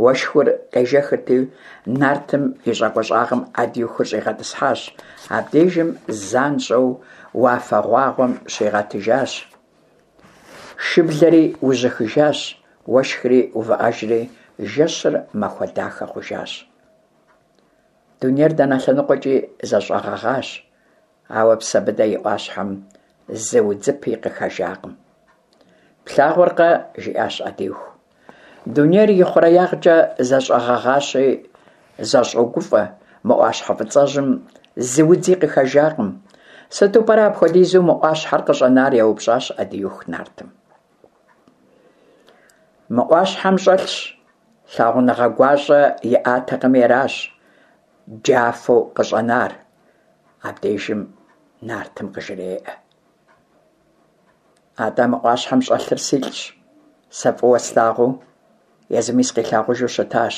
уэшхур къежэхырти, нартым и щӏакӏуэ щӏагъым Ӏэдиихур щӏигъэтӏысхьащ. Абдежым занщӏэу уафэ гъуагъуэм щигъэтыжащ. Шыблэри ужьыхыжащ, уэшхри увыӏэжри, жэщыр махуэ дахэ хъужащ. Дунейр дэнэ лъэныкъуэкӏи зэщӏэгъэгъащ, ауэ Псэбыдэ и ӏуащхьэм зы удзыпи къыхэжакъым. Плъагъуркъэ, жиӏащ Ӏэдииху. Дунейр ихъуреягъкӏэ зэщӏэгъэгъащи, зэщӏогуфӏэ, мы ӏуащхьэ фӏыцӏэжьым зы удзи къыхэжакъым. Сыту пӏэрэ апхуэдизу мы ӏуащхьэр къыщӏэнар? еупщӏащ Ӏэдииху нартым. Мы ӏуащхьэм щӏэлъщ лъагъуныгъэ гуащӏэ иӏатэкъыми аращ джафэу къыщӏэнар, абдежым нартым къыжреӏэ. Атӏэ мы ӏуащхьэм щӏэлъыр силӏщ, сэ фӏыуэ слъагъуу, езыми сыкъилъагъужу щытащ.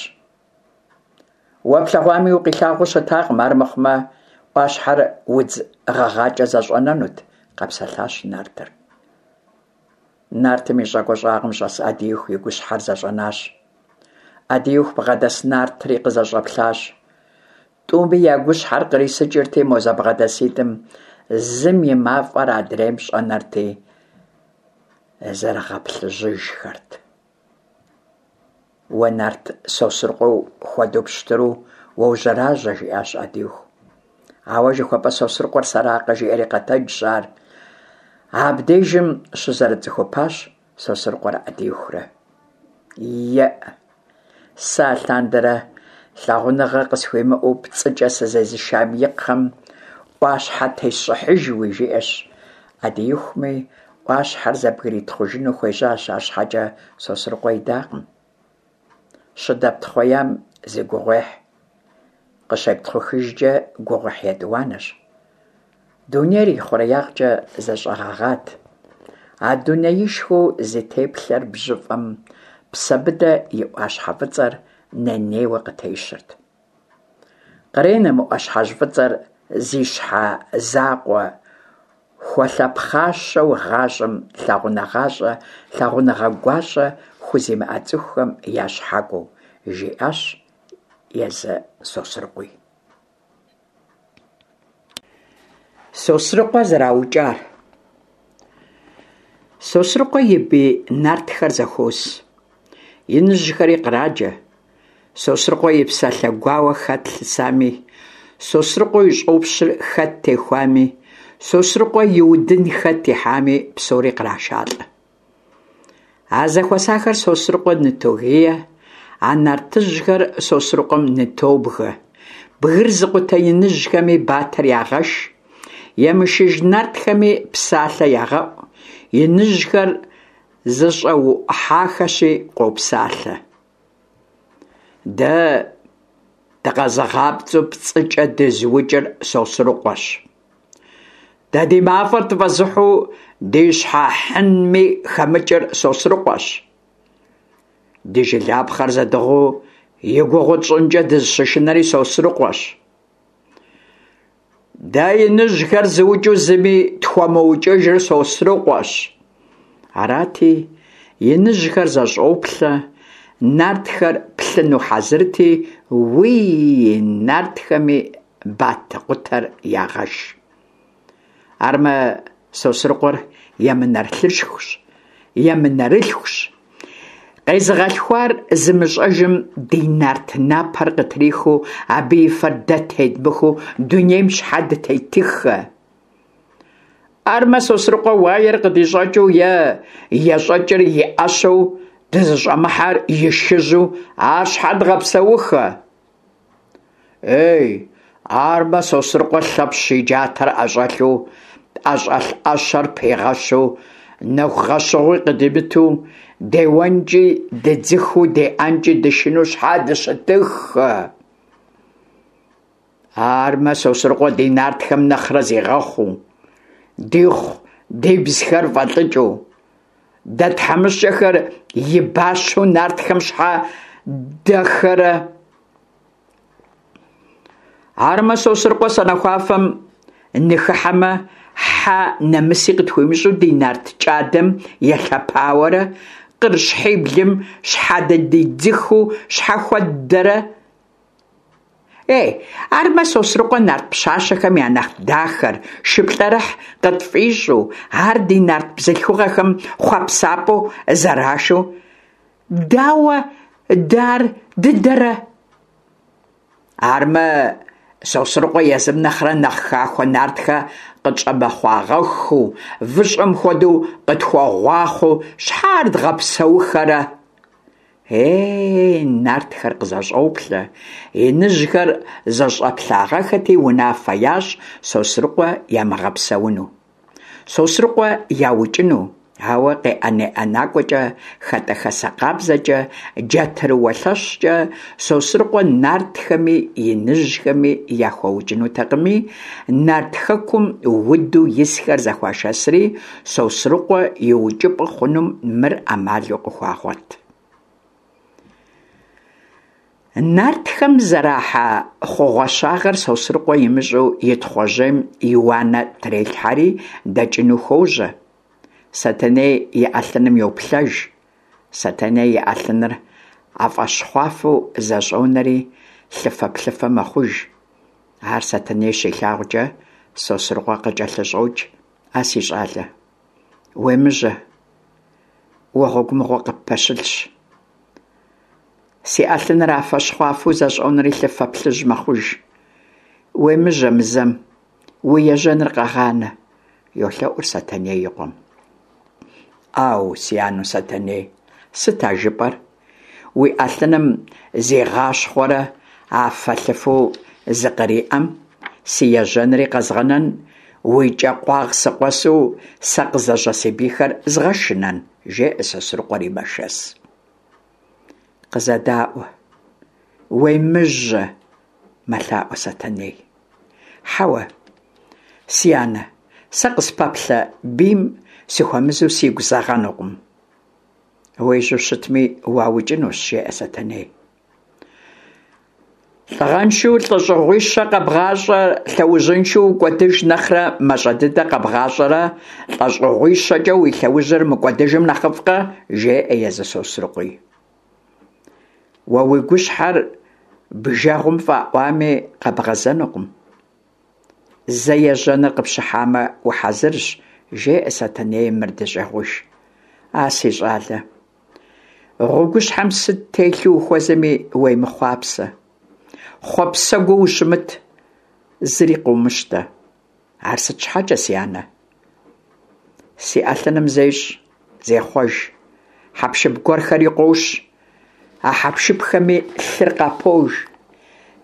Уэ плъэгъуами укъилъагъуу щытакъым, армыхъумэ ӏуащхьэр удз гъэгъакӏэ зэщӏэнэнут, къэпсэлъащ нартыр. Нартым и щӏакӏуэ щӏагъым щӏэс Ӏэдииху и гущхьэр зэщӏэнащ. Ӏэдииху бгъэдэс нартри къызэщӏэплъащ. Тӏуми я гущхьэр кърисыкӏырти, мо зэбгъэдэситӏым зым и мафӏэр адрейм щӏэнэрти, зэрыгъэплъыжьыжхэрт. Уэ нарт Сосрыкъуэ хуэдэу пщтыру уожьэражьэ, жиӏащ Ӏэдииху. Ауэ жыхуэпӏэ Сосрыкъуэр сэракъэ, жиӏэри къэтэджщ ар. Абдежым щызэрыцӏыхупащ Сосрыкъуэрэ Ӏэдиихурэ. Еӏ, сэ алъандэрэ лъагъуныгъэ къысхуимыӏэу пцӏыкӏэ сызезышам и кхъэм ӏуащхьэ тесщӏыхьыжуи, жиӏэщ Ӏэдиихуми, ӏуащхьэр зэбгритхъужыну хуежьащ, арщхьэкӏэ Сосрыкъуэ идакъым. Щыдэптхъуеям зы гугъуехь, къыщептхъухыжкӏэ гугъуехь етӏуанэщ. Дунейр ихъуреягъкӏэ зэщӏэгъэгъат. А дунеишхуэу зи теплъэр бжьыфӏэм Псэбыдэ и ӏуащхьэ фӏыцӏэр ней-нейуэ къытещырт. Къренэ мы ӏуащхьэжь фӏыцӏэр зи щхьэ закъуэ хуэлъэпхъащэу гъащӏэм лъагъуныгъащӏэ, лъагъуныгъэ гуащӏэ хузимыӏэ цӏыхухэм я щхьэкӏуэу, жиӏащ езы Сосрыкъуи. Сосрыкъуэ зэраукӏар. Сосрыкъуэ и бий нартхэр зэхуос. Иныжьхэри къраджэ. Сосрыкъуэ и псалъэ гуауэ хэт лъысами, Сосрыкъуэ и щӏопщыр хэт техуами, Сосрыкъуэ и удын хэт ихьами, псори кърашалӏэ. А зэхуэсахэр Сосрыкъуэ нытогие, а нартыжьхэр Сосрыкъуэм нытобгэ. Бгыр зыкъутэ иныжьхэми батэр ягъэш, емышыж нартхэми псалъэ ягъэӏу, иныжьхэр зэщӏэуӏухьахэщи къопсалъэ. Дэ дыкъэзыгъапцӏэу пцӏыкӏэ дызыукӏыр Сосрыкъуэщ. Дэ ди мафӏэр тфӏэзыхьу ди щхьэ хьынми хэмыкӏыр Сосрыкъуэщ. Ди жылапхъэр зэдыгъуу и гугъу тщӏынкӏэ дызыщышынэри Сосрыкъуэщ. Дэ иныжьхэр зыукӏыу зыми тхуэмыукӏыжыр Сосрыкъуэщ. Арати, иныжьхэр зэщӏоплъэ, нартхэр плъыну хьэзырти, уий, нартхэми батэкъутэр ягъэш. Армэ, Сосрыкъуэр емынэрылъхущ, емынэрылъхущ. Къезыгъэлъхуар зымыщӏэжым ди нарт напэр къытрихыу, абы и фэр дэ тедмыхыу дунейм щхьэ дытетыххэ? Армэ, Сосрыкъуэ уаер къыдищӏэкӏыу е ещӏэкӏыр и ӏэщэу дызыщӏэмыхьэр и шыжьу ар щхьэ дгъэпсэуххэ? Ей, армэ, Сосрыкъуэ Лъэпщ и джатэр ӏэщӏэлъу, ӏэщӏэлъ ӏэщэр пигъэщу, нэху гъэщыгъуи къыдимыту, деуэнкӏи дыдзыхыу, деӏэнкӏи дышынэу щхьэ дыщытыххэ? Армэ, Сосрыкъуэ ди нартхэм нэхърэ зигъэхъуу, дихъу-дибзхэр фӏэлӏыкӏыу, дэ тхьэмыщкӏэхэр и бащэу нартхэм щхьэ дэхэрэ? Армэ, Сосрыкъуэ санэхуафэм ныхыхьэмэ, хьэ нэмыси къытхуимыщӏу ди нарт кӏадэм елъэпауэрэ, къыр щхьиблым щхьэдыдидзыхыу щхьэ хуэддэрэ? Ей, армэ, Сосрыкъуэ нарт пщащэхэм я нэхъ дахэр, шыплӏэрыхь къытфӏищӏу, ар ди нарт бзылъхугъэхэм хъуэпсапӏэу зэрашэу, дауэ дэ ар дыдэрэ? Армэ, Сосрыкъуэ езым нэхърэ нэхъ хахуэ нартхэ къытщӏэмыхъуагъэххэу, выщӏэм хуэдэу къытхуэгъуахъуэу щхьэ ар дгъэпсэухэрэ? Ей, нартхэр къызэщӏоплъэ, иныжьхэр зэщӏэплъагъэххэти, унафэ ящӏ Сосрыкъуэ ямыгъэпсэуну. Сосрыкъуэ яукӏыну, ауэ къеӏэн-неӏэнакӏуэкӏэ, хэтӏэхэсэ къабзэкӏэ, джатэрыуэ лъэщкӏэ Сосрыкъуэ нартхэми иныжьхэми яхуэукӏынутэкъыми, нарт хэкум уду исхэр зэхуашэсри, Сосрыкъуэ и укӏыпӏэ хъунум мыр ӏэмалу къыхуагъуэт. Нартхэм зэрахьэ хъугъуэщагъэр Сосрыкъуэ имыщӏэу и Тхъуэжьейм и уанэ трелъхьэри дэкӏыну хуожьэ. Сэтэней и ӏэлъыным йоплъэж. Сэтэней и ӏэлъыныр афэщхъуафэу зэщӏонэри лъыфэ-плъыфэ мэхъуж. Ар Сэтэней щилъагъукӏэ, Сосрыкъуэ къыкӏэлъыщӏокӏ: А си щӏалэ, уемыжьэ, уэ гъуэгу мыгъуэ къыппэщылъщ. Си ӏэлъыныр афэ-щхъуафэу зэщӏонэри лъыфэ плъыжь мэхъуж. Уемыжьэ мы зэм, уи ежьэныр къэгъанэ, йолъэӏур Сэтэней и къуэм. Ӏэу, си анэу Сэтэней, сыт а жыпӏэр? Уи ӏэлъыным зигъащхъуэрэ афэ-лъыфэу зыкъриӏэм, си ежьэнри къэзгъэнэн, уи кӏэ къуагъ сыкъуэсу сэ къызэжьэ си бийхэр згъэшынэн, жеӏэ Сосрыкъуэри мэшэс. Къызэдаӏуэ, уемыжьэ, мэлъаӏуэ Сэтэней. Хьэуэ, си анэ, сэ къыспэплъэ бийм сыхуэмызэу сигу зэгъэнукъым. Уежьэу щытми, уаукӏынущ, жеӏэ Сэтэней. Лӏыгъэншэу лӏэщӏыгъуищэ къэбгъащӏэ лъэужьыншэу укӏуэдыж нэхърэ мащӏэ дыдэ къэбгъащӏэрэ лӏэщӏыгъуищэкӏэ уи лъэужьыр мыкӏуэдыжым нэхъыфӏкъэ, жеӏэ езы Сосрыкъуи. Уэ уи гущхьэр бжэгъум фӏаӏуами къэбгъэзэнукъым. Зэ ежьэныр къыпщыхьамэ, ухьэзырщ, жеӏэ Сэтэней мыр дыщӏегъуж. А си щӏалэ, гъуэгущхьэм сыт телъу ухуэзэми уемыхъуапсэ. Хъуэпсэгуэу ущымыт, зыри къыумыщтэ. Ар сыт щхьэкӏэ, си анэ? Си ӏэлъыным зещӏ, зехъуэж, хьэпшып гуэрхэри къощ. А хьэпшыпхэми лъыр къапож.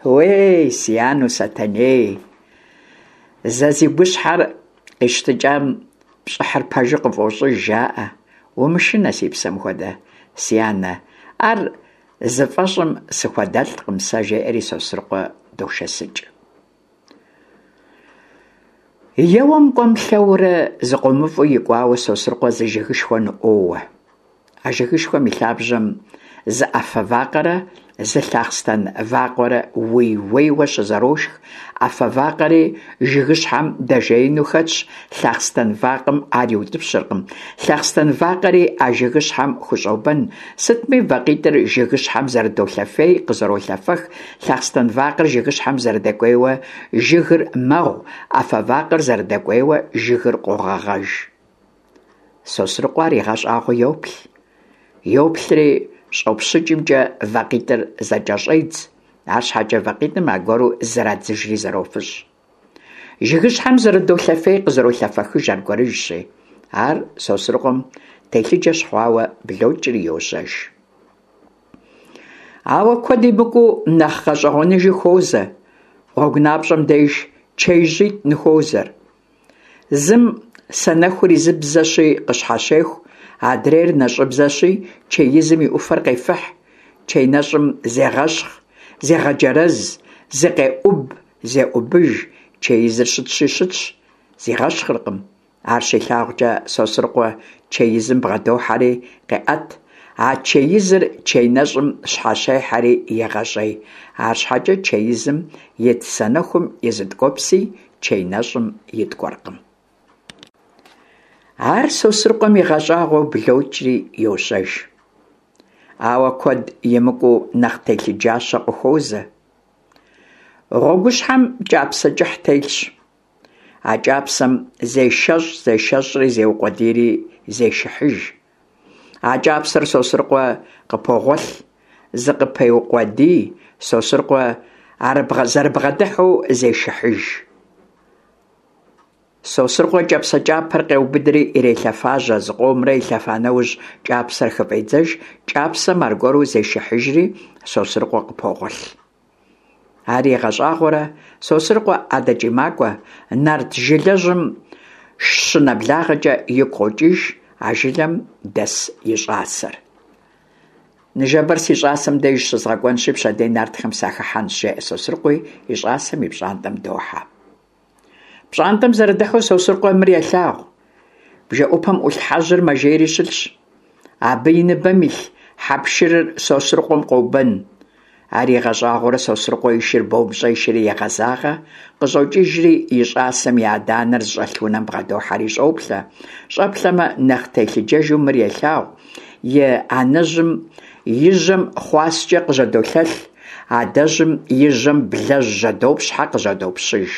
Уей, си анэу Сэтэней! Зэ зи гущхьэр къищтыкӏам пщӏыхьыр пэжу къыфӏощӏыж, жаӏэ. Умышынэ, си псэм хуэдэ, си анэ, ар зыфӏэщӏым сыхуэдэлӏкъым сэ, жеӏэри Сосрыкъуэ дошэсыкӏ. Еуэм кӏуэм-лъэуэрэ зыкъомыфӏу икӏуауэ Сосрыкъуэ зы жыгышхуэ ныӏуоуэ. А жыгышхуэм и лъабжьэм зы ӏэфэ вакъэрэ зы лъахъстэн вакъуэрэ уей-уейуэ щызэрошх. ӏэфэ вакъэри жыгыщхьэм дэжеину хэтщ, лъахъстэн вакъэм ар иутӏыпщыркъым. Лъахъстэн вакъэри а жыгыщхьэм хущӏобэн. Сытми вакъитӏыр жыгыщхьэм зэрыдолъэфей, къызэролъэфэх, Лъахъстэн вакъэр жыгыщхьэм зэрыдэкӏуейуэ жыгыр мэгъу, ӏэфэ вакъэр зэрыдэкӏуейуэ жыгыр къогъэгъэж. Сосрыкъуэ ар игъэщӏагъуэу йоплъ. Йоплъри, щӏопщыкӏымкӏэ вакъитӏыр зэкӏэщӏедз, арщхьэкӏэ вакъитӏым аргуэру зырадзыжри зэрофыщӏ. Жыгыщхьэм зэрыдолъэфей къызэролъэфэхыж аргуэрыжьщи, ар Сосрыкъуэм телъыджэ щыхъуауэ блокӏри йожьэж. Ауэ куэд имыкӏуу нэхъ гъэщӏэгъуэныжи хуозэ. Гъуэгу напщӏэм деж чеижьитӏ ныхуозэр. Зым санэхур изыбзэщи къыщхьэщеху, адрейр нэщӏыбзэщи чеизым и ӏуфэр къефыхь. Чей нэщӏым зегъэщхъ, зегъэджэрэз, зыкъеӏуб, зеӏубыж, чеизыр щытщи щытщ, зигъэщхъыркъым. Ар щилъагъукӏэ, Сосрыкъуэ чеизым бгъэдохьэри къеӏэт. А чеизыр чей нэщӏым щхьэщехьэри егъэщӏей. Арщхьэкӏэ чеизым ит санэхум и зы ткӏуэпси чей нэщӏым иткӏуэркъым. Ар Сосрыкъуэм игъэщӏагъуэу блокӏри йожьэж. Ауэ куэд имыкӏуу нэхъ телъыджащэ къыхуозэ. Гъуэгущхьэм кӏапсэ кӏыхь телъщ. А кӏапсэм зешэщӏ, зешэщӏри зеукъуэдийри зешыхьыж. А кӏапсэр Сосрыкъуэ къыпогъуэлъ, зыкъыпеукъуэдий, Сосрыкъуэ зэрыбгъэдыхьэу зешыхьыж. Сосрыкъуэ кӏапсэ кӏапэр къеубыдри ирелъэфажьэ, зыкъомрэ илъэфа нэужь, кӏапсэр хыфӏедзэж, кӏапсэм аргуэру зешыхьыжри Сосрыкъуэ къыпогъуэлъ. Ар игъэщӏагъуэрэ, Сосрыкъуэ адэкӏи макӏуэ, нарт жылэжьым щынэблагъэкӏэ игу къокӏыж а жылэм дэс и щӏасэр. Ныжэбэр си щӏасэм деж щызгъэкӏуэнщи, пщэдей нартхэм сахыхьэнщ, жеӏэ Сосрыкъуи, и щӏасэм и пщӏантӏэм дохьэ. Пщӏантӏэм зэрыдыхьэу Сосрыкъуэ мыр елъагъу. Бжэӏупэм ӏулъ хьэжьыр мэжейри щылъщ. Абы и ныбэм илъ хьэпшырыр Сосрыкъуэм къобэн. Ар игъэщӏагъуэрэ Сосрыкъуэ и шыр бом щӏешэри егъэзагъэ, къыщӏокӏыжри и щӏасэм и адэ-анэр зыщӏэлъ унэм бгъэдохьэри щӏоплъэ. Щӏэплъэмэ, нэхъ телъыджэжу мыр елъагъу, и анэжьым и жьэм хъуаскӏэ къыжьэдолъэлъ, адэжьым и жьэм блэжь жьэдопщхьэ къыжьэдопщыж.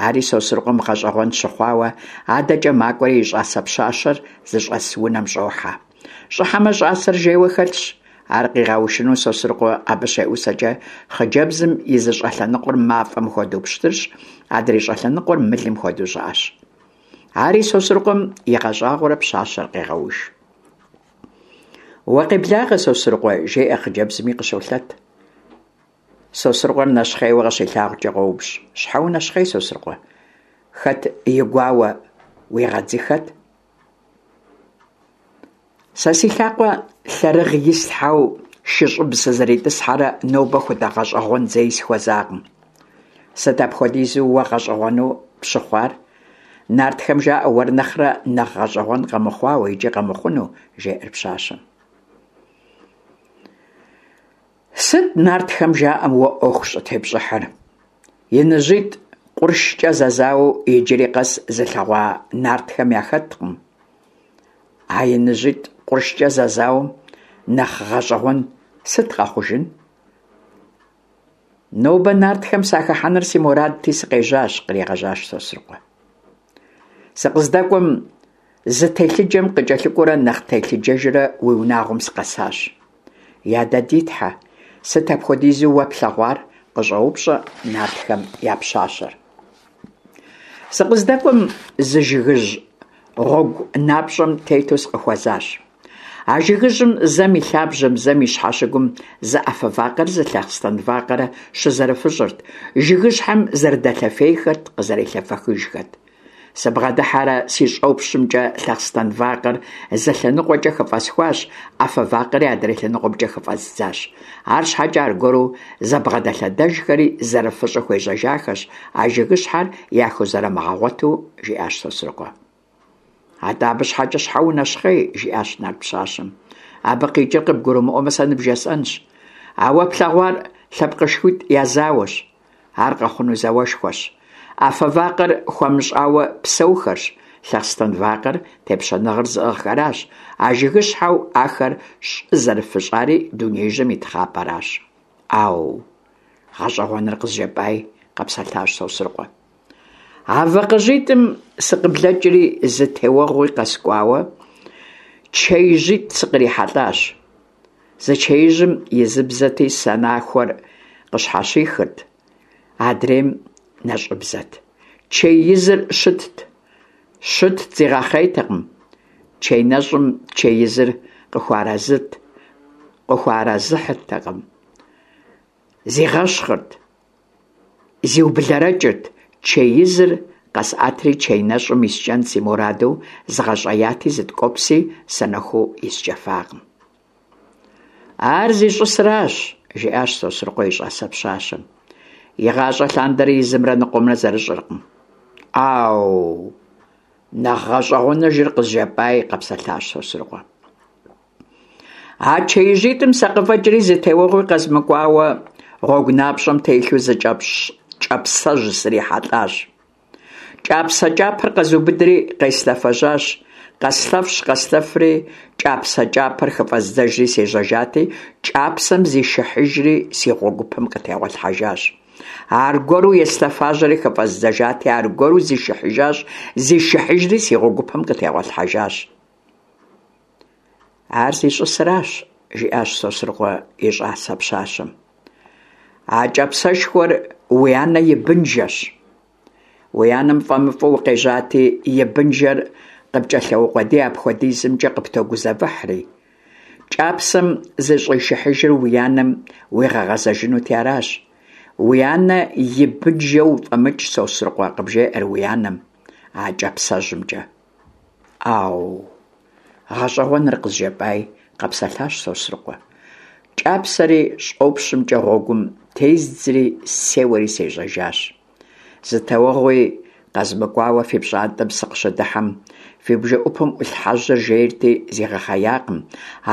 Ари Сосрыкъуэм гъэщӏэгъуэн щыхъуауэ, адэкӏэ макӏуэри и щӏасэ пщащэр зыщӏэс унэм щӏохьэ. Щӏыхьэмэ, щӏасэр жейуэ хэлъщ. Ар къигъэушыну Сосрыкъуэ абы щеӏусэкӏэ, хъыджэбзым и зы щӏэлъэныкъуэр мафӏэм хуэдэу пщтырщ, адрей щӏэлъэныкъуэр мылым хуэдэу щӏыӏэщ. Ари Сосрыкъуэм игъэщӏагъуэрэ пщащэр къегъэуш. Уэ къеблагъэ, Сосрыкъуэ, жеӏэ хъыджэбзми къыщолъэт. Сосрыкъуэр нэщхъейуэ къыщилъагъукӏэ къоупщӏ. Щхьэ унэщхъей, Сосрыкъуэ? Хэт и гуауэ уигъэдзыхэт? Сэ си лъакъуэ лъэрыгъ ислъхьэу шыщӏыб сызэритӏысхьэрэ нобэ хуэдэ гъэщӏэгъуэн зэи сыхуэзакъым. Сыт апхуэдизу уэ гъэщӏэгъуэну пщыхъуар? Нартхэм жаӏэ уэр нэхърэ нэхъ гъэщӏэгъуэн къэмыхъуауэ икӏи къэмыхъуну, жеӏэр пщащэм. Сыт нартхэм жаӏэм уэ ӏуэху щӏытепщӏыхьыр? Иныжьитӏ къуршкӏэ зэзауэу иджыри къэс зылъэгъуа нартхэм яхэткъым. А иныжьитӏ къуршкӏэ зэзауэм нэхъ гъэщӏэгъуэн сыт къэхъужын? Нобэ нартхэм сахыхьэныр си мурадти сыкъежьащ, къригъэжьащ Сосрыкъуэ. Сыкъыздэкӏуэм зы телъыджэм къыкӏэлъыкӏуэрэ нэхъ телъыджэжрэ уи унагъуэм сыкъэсащ. Я дэ ди тхьэ, сыт апхуэдизу уэ плъэгъуар? къыщӏоупщӏэ нартхэм я пщащэр. Сыкъыздэкӏуэм зы жыгыжь гъуэгу напщӏэм тету сыкъыхуэзащ. А жыгыжьым зэм и лъабжьэм, зэм и щхьэщыгум зы афэ вакъэрэ зы лъэхъстэн вакъэрэ щызэрыфыщӏырт, жыгыщхьэм зэрыдэлъэфейхэрт, къызэрелъэфэхыжхэт. Сыбгъэдыхьэрэ си щӏопщымкӏэ лъэхъстэн вакъэр зы лъэныкъуэкӏэ хыфӏэсхуащ, афэ вакъэри адрей лъэныкъуэмкӏэ хыфӏэздзащ. Арщхьэкӏэ аргуэру зэбгъэдэлъэдэжхэри зэрыфыщӏу хуежьэжахэщ, а жыгыщхьэр яхузэрымыгъэгъуэту, жиӏащ Сосрыкъуэ. Атӏэ абы щхьэкӏэ щхьэ унэщхъей, жиӏащ нарт пщащэм. Абы къикӏыр къыбгурымыӏуэмэ, сэ ныбжесӏэнщ. А уэ плъэгъуар лъэпкъышхуитӏ я зауэщ. Ар къэхъуну зауэшхуэщ. Афэ вакъэр хуэмыщӏауэ псэухэрщ, лъэхъстэн вакъэр тепщэныгъэр зыӏыгъхэращ, а жыгыщхьэу ахэр щӏызэрыфыщӏари дунеижьым и тхъапӏэращ. ӏау! Гъэщӏэгъуэныр къызжепӏай, къэпсэлъащ Сосрыкъуэ. А вакъэжьитӏым сыкъыблэкӏри зы теуэгъуи къэскӏуауэ, чеижьитӏ сыкърихьэлӏащ. Зы чеижьым изыбзэти санэхур къыщхьэщихырт, адрейм нэщӏыбзэт. Чей изыр щытт. Щытт, зигъэхъейтэкъым. Чей нэщӏым чей изыр къыхуэарэзыт, къыхуэарэзыхьыртэкъым. Зигъэщхъырт. Зиублэрэкӏырт, чей изыр къэсӏэтри чей нэщӏым искӏэн си мураду згъэщӏеяти зы ткӏуэпси санэху искӏэфакъым. Ар зищӏысыращ, жиӏащ Сосрыкъуэ и щӏасэ пщащэм. Игъащӏэ лъандэрэ изымрэ ныкъуэмрэ зэрыщӏыркъым. ӏау! Нэхъ гъэщӏэгъуэныжыр къызжепӏаи, къэпсэлъащ Сосрыкъуэ. А чеижьитӏым сакъыфӏэкӏри зы теуэгъуи къэзмыкӏуауэ, гъуэгу напщӏэм телъу зы кӏапсэжь срихьэлӏащ. Кӏапсэ кӏапэр къэзубыдри къеслъэфэжьащ. Къэслъэфщ-къэслъэфри, кӏапсэ кӏапэр хыфӏэздзэжри сежьэжати, кӏапсэм зишыхьыжри си гъуэгупэм къытегъуэлъхьэжащ. Аргуэру еслъэфажьэри хыфӏэздзэжати, аргуэру зишыхьыжащ, зишыхьыжри си гъуэгупэм къытегъуэлъхьэжащ. Ар зищӏысыращ, жиӏащ Сосрыкъуэ и щӏасэ пщащэм. А кӏапсэшхуэр уи анэ и бынжэщ. Уи анэм фӏэмыфӏу укъежьати, и бынжэр къыпкӏэлъеукъуэдий апхуэдизымкӏэ къыптогузэвыхьри. Кӏапсэм зыщӏишыхьыжыр уи анэм уигъэгъэзэжынути аращ. Уи анэ и бынжэ уфӏэмыкӏ, Сосрыкъуэ, къыбжеӏэр уи анэм а кӏапсэжьымкӏэ. Ӏэу, гъэщӏэгъуэныр къызжепӏаи, къэпсэлъащ Сосрыкъуэ. Кӏапсэри щӏопщымкӏэ гъуэгум тездзри сеуэри сежьэжащ. Зы теуэгъуи къэзмыкӏуауэ фи пщӏантӏэм сыкъыщыдыхьэм, фи бжэӏупэм ӏулъ хьэжьыр жейрти зигъэхъеякъым,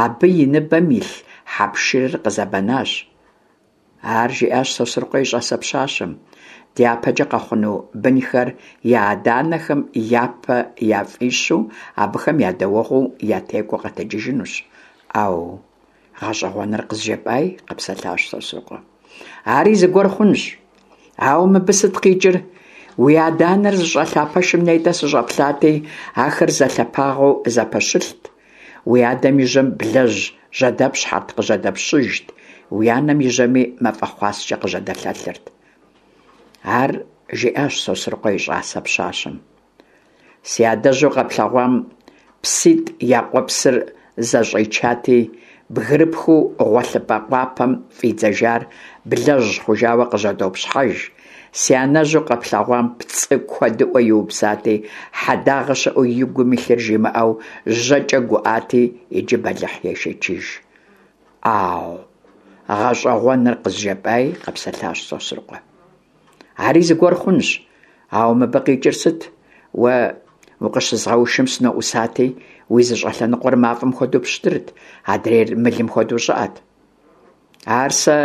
абы и ныбэм илъ хьэпшырыр къызэбэнащ. Ар жиӏащ Сосрыкъуэ и щӏасэ пщащэм. Дяпэкӏэ къэхъуну бынхэр я адэ-анэхэм япэ яфӏищу, абыхэм я дэуэгъуу ятекӏуэу къэтэджыжынущ. ӏэу, гъэщӏэгъуэныр къызжепӏаи, къэпсэлъащ Сосрыкъуэ. Ари зыгуэр хъунщ. Ауэ мыбы сыт къикӏыр? Уи адэ-анэр зыщӏэлъа пэшым нетӏэ сыщӏэплъати, ахэр зэлъэпагъэу зэпэщылът. Уи адэм и жьэм блэжь жьэдэпщхьэрт, къыжьэдэпщыжт, уи анэм и жьэми мафӏэ хъуаскӏэ къыжьэдэлъэлъырт. Ар жиӏащ Сосрыкъуэ и щӏасэ пщащэм. Си адэжьу къэплъэгъуам пситӏ я къуэпсыр зэщӏичати, бгырыпхыу гъуэлъыпӏэ къуапэм фӏидзэжар блэжь хъужауэ къыжьэдопщхьэж. Си анэжьу къэплъэгъуам пцӏы куэдыӏуэ иупсати, хьэдагъэ щыӏэу и гум илъыр жимыӏэу жьэкӏэ гуӏати, иджы бэлыхь ешэчыж. ӏау, гъэщӏэгъуэныр къызжепӏаи, къэпсэлъащ Сосрыкъуэ. Ари зыгуэр хъунщ, ауэ мыбы къикӏыр сыт? Уэ укъыщызгъэушым сыноӏусати, уи зы щӏэлъэныкъуэр мафӏэм хуэдэу пщтырт, адрейр мылым хуэдэу щӏыӏэт. Ар сэ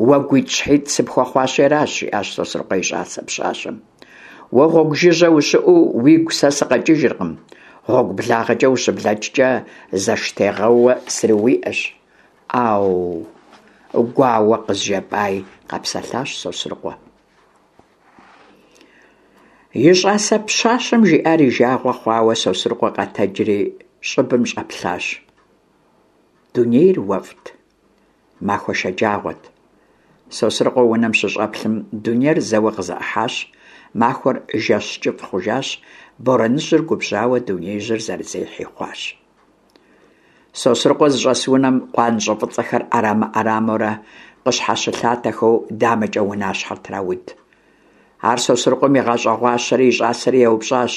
уэ гуитӏщхьитӏ сыпхуэхъуащи аращ, жиӏащ Сосрыкъуэ и щӏасэ пщащэм. Уэ гъуэгу жыжьэ ущыӏэу уигу сэ сыкъэкӏыжыркъым, гъуэгу благъэкӏэ ущыблэкӏкӏэ зэштегъэууэ срыуиӏэщ. ӏау, гуауэ къызжепӏаи, къэпсэлъащ Сосрыкъуэ. И щӏасэ пщащэм жиӏар и жагъуэ хъуауэ Сосрыкъуэ къэтэджри щӏыбым щӏэплъащ. Дунейр уэфӏт, махуэ шэджагъуэт. Сосрыкъуэ унэм щыщӏэплъым, дунейр зэуэ къызэӏыхьащ, махуэр жэщ кӏыфӏ хъужащ, борэныжьыр губжьауэ дунеижьыр зэрызехьи хъуащ. Сосрыкъуэ зыщӏэс унэм къуанщӏэ фӏыцӏэхэр ӏэрамэ-ӏэрамэурэ къыщхьэщылъатэхэу дамэкӏэ унащхьэр трауд. Ар Сосрыкъуэм игъэщӏэгъуащэри и щӏасэри еупщӏащ,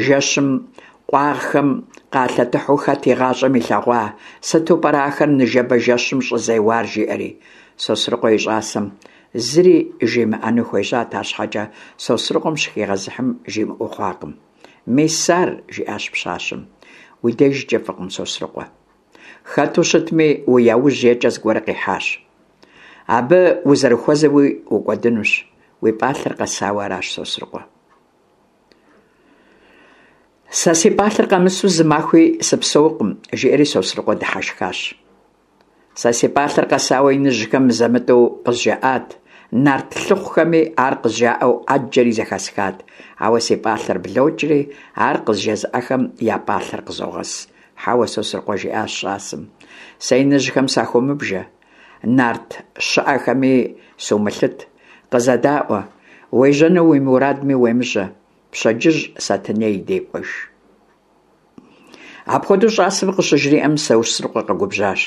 жэщым къуаргъхэм къалъэтыхьу хэт игъащӏэм илъэгъуа, сыту пӏэрэ ахэр ныжэбэ жэщым щӏызеуар, жиӏэри. Сосрыкъуэ и щӏасэм зыри жимыӏэну хуежьат, арщхьэкӏэ Сосрыкъуэм щыхигъэзыхьым жимыӏэу хъуакъым. Мис ар, жиӏащ пщащэм, уи дежкӏэ фӏыкъым, Сосрыкъуэ. Хэту щытми, уи яужь екӏэ зыгуэр къихьащ. Абы узэрыхуэзэуи укӏуэдынущ, уи пӏалъэр къэсауэ аращ, Сосрыкъуэ. Сэ си пӏалъэр къэмысу зы махуи сыпсэукъым, жиӏэри Сосрыкъуэ дыхьэшхащ. Сэ си пӏалъэр къэсауэ иныжьхэм мызэ-мытӏэу къызжаӏат, нарт лъыхъухэми ар къызжаӏэу ӏэджэри зэхэсхат, ауэ си пӏалъэр блокӏри, ар къызжезыӏэхэм я пӏалъэр къызогъэс. Хьэуэ, Сосрыкъуэ, жиӏащ щӏасэм, сэ иныжьхэм сахомыбжэ, нарт щыӏэхэми сумылъыт, къызэдаӏуэ, уежьэну уи мурадми уемыжьэ, пщэдджыжь Сэтэней дей кӏуэж. Апхуэдэу щӏасэм къыщыжриӏэм, Сосрыкъуэ къэгубжьащ.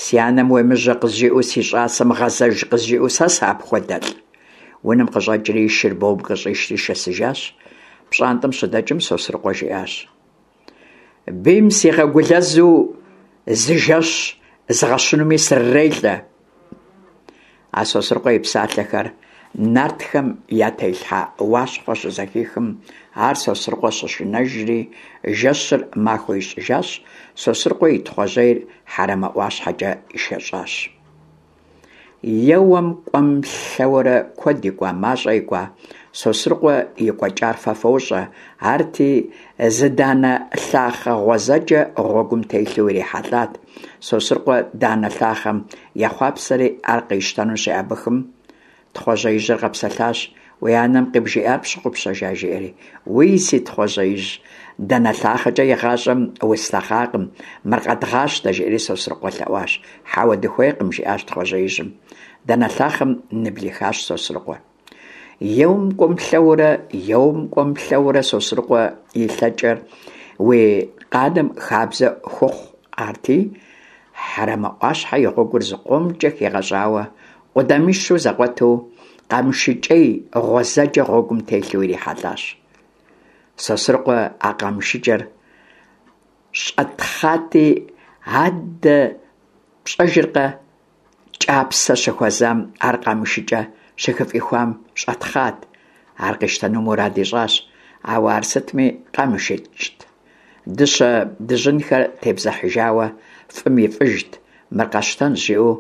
Си анэм уемыжьэ къызжиӏэу, си щӏасэм гъэзэж къызжиӏэу сэ сыапхуэдэлӏ? Унэм къыщӏэкӏри и шыр бом къыщӏишри шэсыжащ. Пщӏантӏэм щыдэкӏым Сосрыкъуэ жиӏащ. Бийм сигъэгулэзу зы жэщ згъэщынуми срырелӏэ. А Сосрыкъуэ и псалъэхэр нартхэм я телъхьэ Уащхъуэ щызэхихым, ар Сосрыкъуэ щышынэжри, жэщыр махуэ ищӏыжащ, Сосрыкъуэ и Тхъуэжьейр Хьэрэмэ ӏуащхьэкӏэ ишэщӏащ. Еуэм, кӏуэм, лъэуэрэ куэд икӏуа, мащӏэ икӏуа, Сосрыкъуэ и кӏуэкӏар фэ фощӏэ, арти, зы данэ лъахъэ гъуэзэджэ гъуэгум телъу ирихьэлӏат. Сосрыкъуэ данэ лъахъэм ехъуапсэри ар къищтэну щеӏэбыхым, Тхъуэжьеижьыр къэпсэлъащ, Уи анэм къыбжиӏар пщыгъупщэжа? жиӏэри. Уий, си Тхъуэжьеижь, данэ лъахъэкӏэ игъащӏэм услъэхъакъым, мыр къэдгъащтэ, жиӏэри Сосрыкъуэ лъэӏуащ. Хьэуэ, дыхуейкъым, жиӏащ Тхъуэжьеижьым. Данэ лъахъэм ныблихащ Сосрыкъуэ. Еуэм кӏуэм-лъэуэрэ, еуэм кӏуэм-лъэуэрэ, Сосрыкъуэ и лъэкӏэр уи къаным хабзэ хуэхъуати, Хьэрэмэ ӏуащхьэ и гъуэгур зыкъомкӏэ хигъэщӏауэ, къудамищу зэкъуэту, къамышыкӏей гъуэзэджэ гъуэгум телъу ирихьэлӏащ. Сосрыкъуэ а къамышыкӏэр щӏэтхъати, адэ пщӏэжыркъэ, кӏапсэ щыхуэзам ар къамышыкӏэ щыхыфӏихуам щӏэтхъат. Ар къищтэну мурад ищӏащ, ауэ ар сытми къамышыкӏт. Дыщэ дыжьынхэр тебзыхьыжауэ фӏым и фӏыжт, мыр къэсщтэнщ, жиӏэу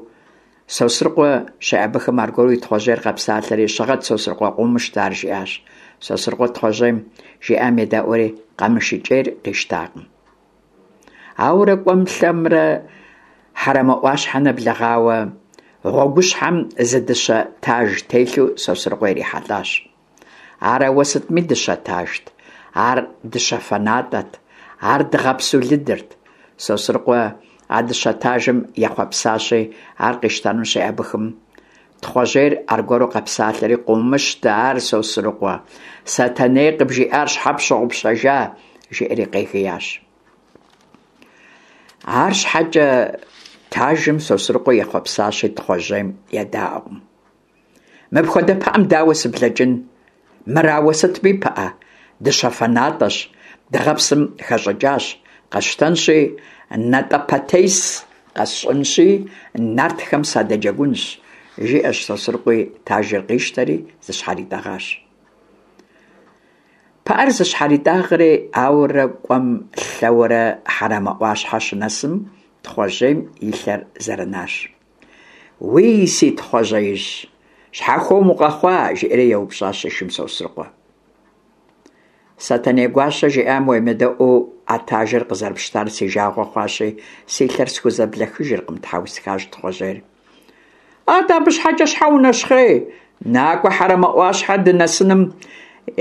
Сосрыкъуэ щеӏэбыхым аргуэру и Тхъуэжьейр къэпсалъэри, щыгъэт, Сосрыкъуэ, къыумыщтэ ар, жиӏащ. Сосрыкъуэ Тхъуэжьейм жиӏам едэӏуэри, къамышыкӏейр къищтакъым. Ауэрэ кӏуэм-лъэмрэ Хьэрэмэ ӏуащхьэ нэблэгъауэ, гъуэгущхьэм зы дыщэ таж телъу Сосрыкъуэ ирихьэлӏащ. Ар ауэ сытми дыщэ тажт, ар дыщэфэ натӏэт, ар дыгъэпсу лыдырт. Сосрыкъуэ а дыщэ тажым ехъуэпсащи, ар къищтэну щеӏэбыхым, Тхъуэжьейр аргуэру къэпсалъэри, Къыумыщтэ ар, Сосрыкъуэ, Сэтэней къыбжиӏар щхьэ пщыгъупщэжа? жиӏэри къегиящ. Арщхьэкӏэ тажым Сосрыкъуэ ехъуэпсащи, Тхъуэжьейм едаӏуэкъым. Мыпхуэдэ пыӏэм дауэ сыблэкӏын? Мыр ауэ сытми пыӏэ, дыщэфэ натӏэщ, дыгъэпсым хэщӏыкӏащ, къэсщтэнщи, натӏэпэтес къэсщӏынщи, нартхэм садэджэгунщ, жиӏэщ Сосрыкъуи, тажыр къищтэри зыщхьэритӏэгъащ. Пыӏэр зыщхьэритӏагъэри, ауэрэ кӏуэм-лъэуэрэ Хьэрэмэ ӏуащхьэ щынэсым, Тхъуэжьейм и лъэр зэрынащ. Уий, си Тхъуэжьеижь, щхьэ хуэм укъэхъуа? жиӏэри еупщӏащ и шым Сосрыкъуэ. Сэтэней гуащэ жиӏам уемыдэӏуу а тажыр къызэрыпщтар си жагъуэ хъуащи, си лъэр схузэблэхыжыркъым, тхьэусыхащ Тхъуэжьейр. Атӏэ абы щхьэкӏэ щхьэ унэщхъей? Накӏуэ Хьэрэмэ ӏуащхьэ дынэсыным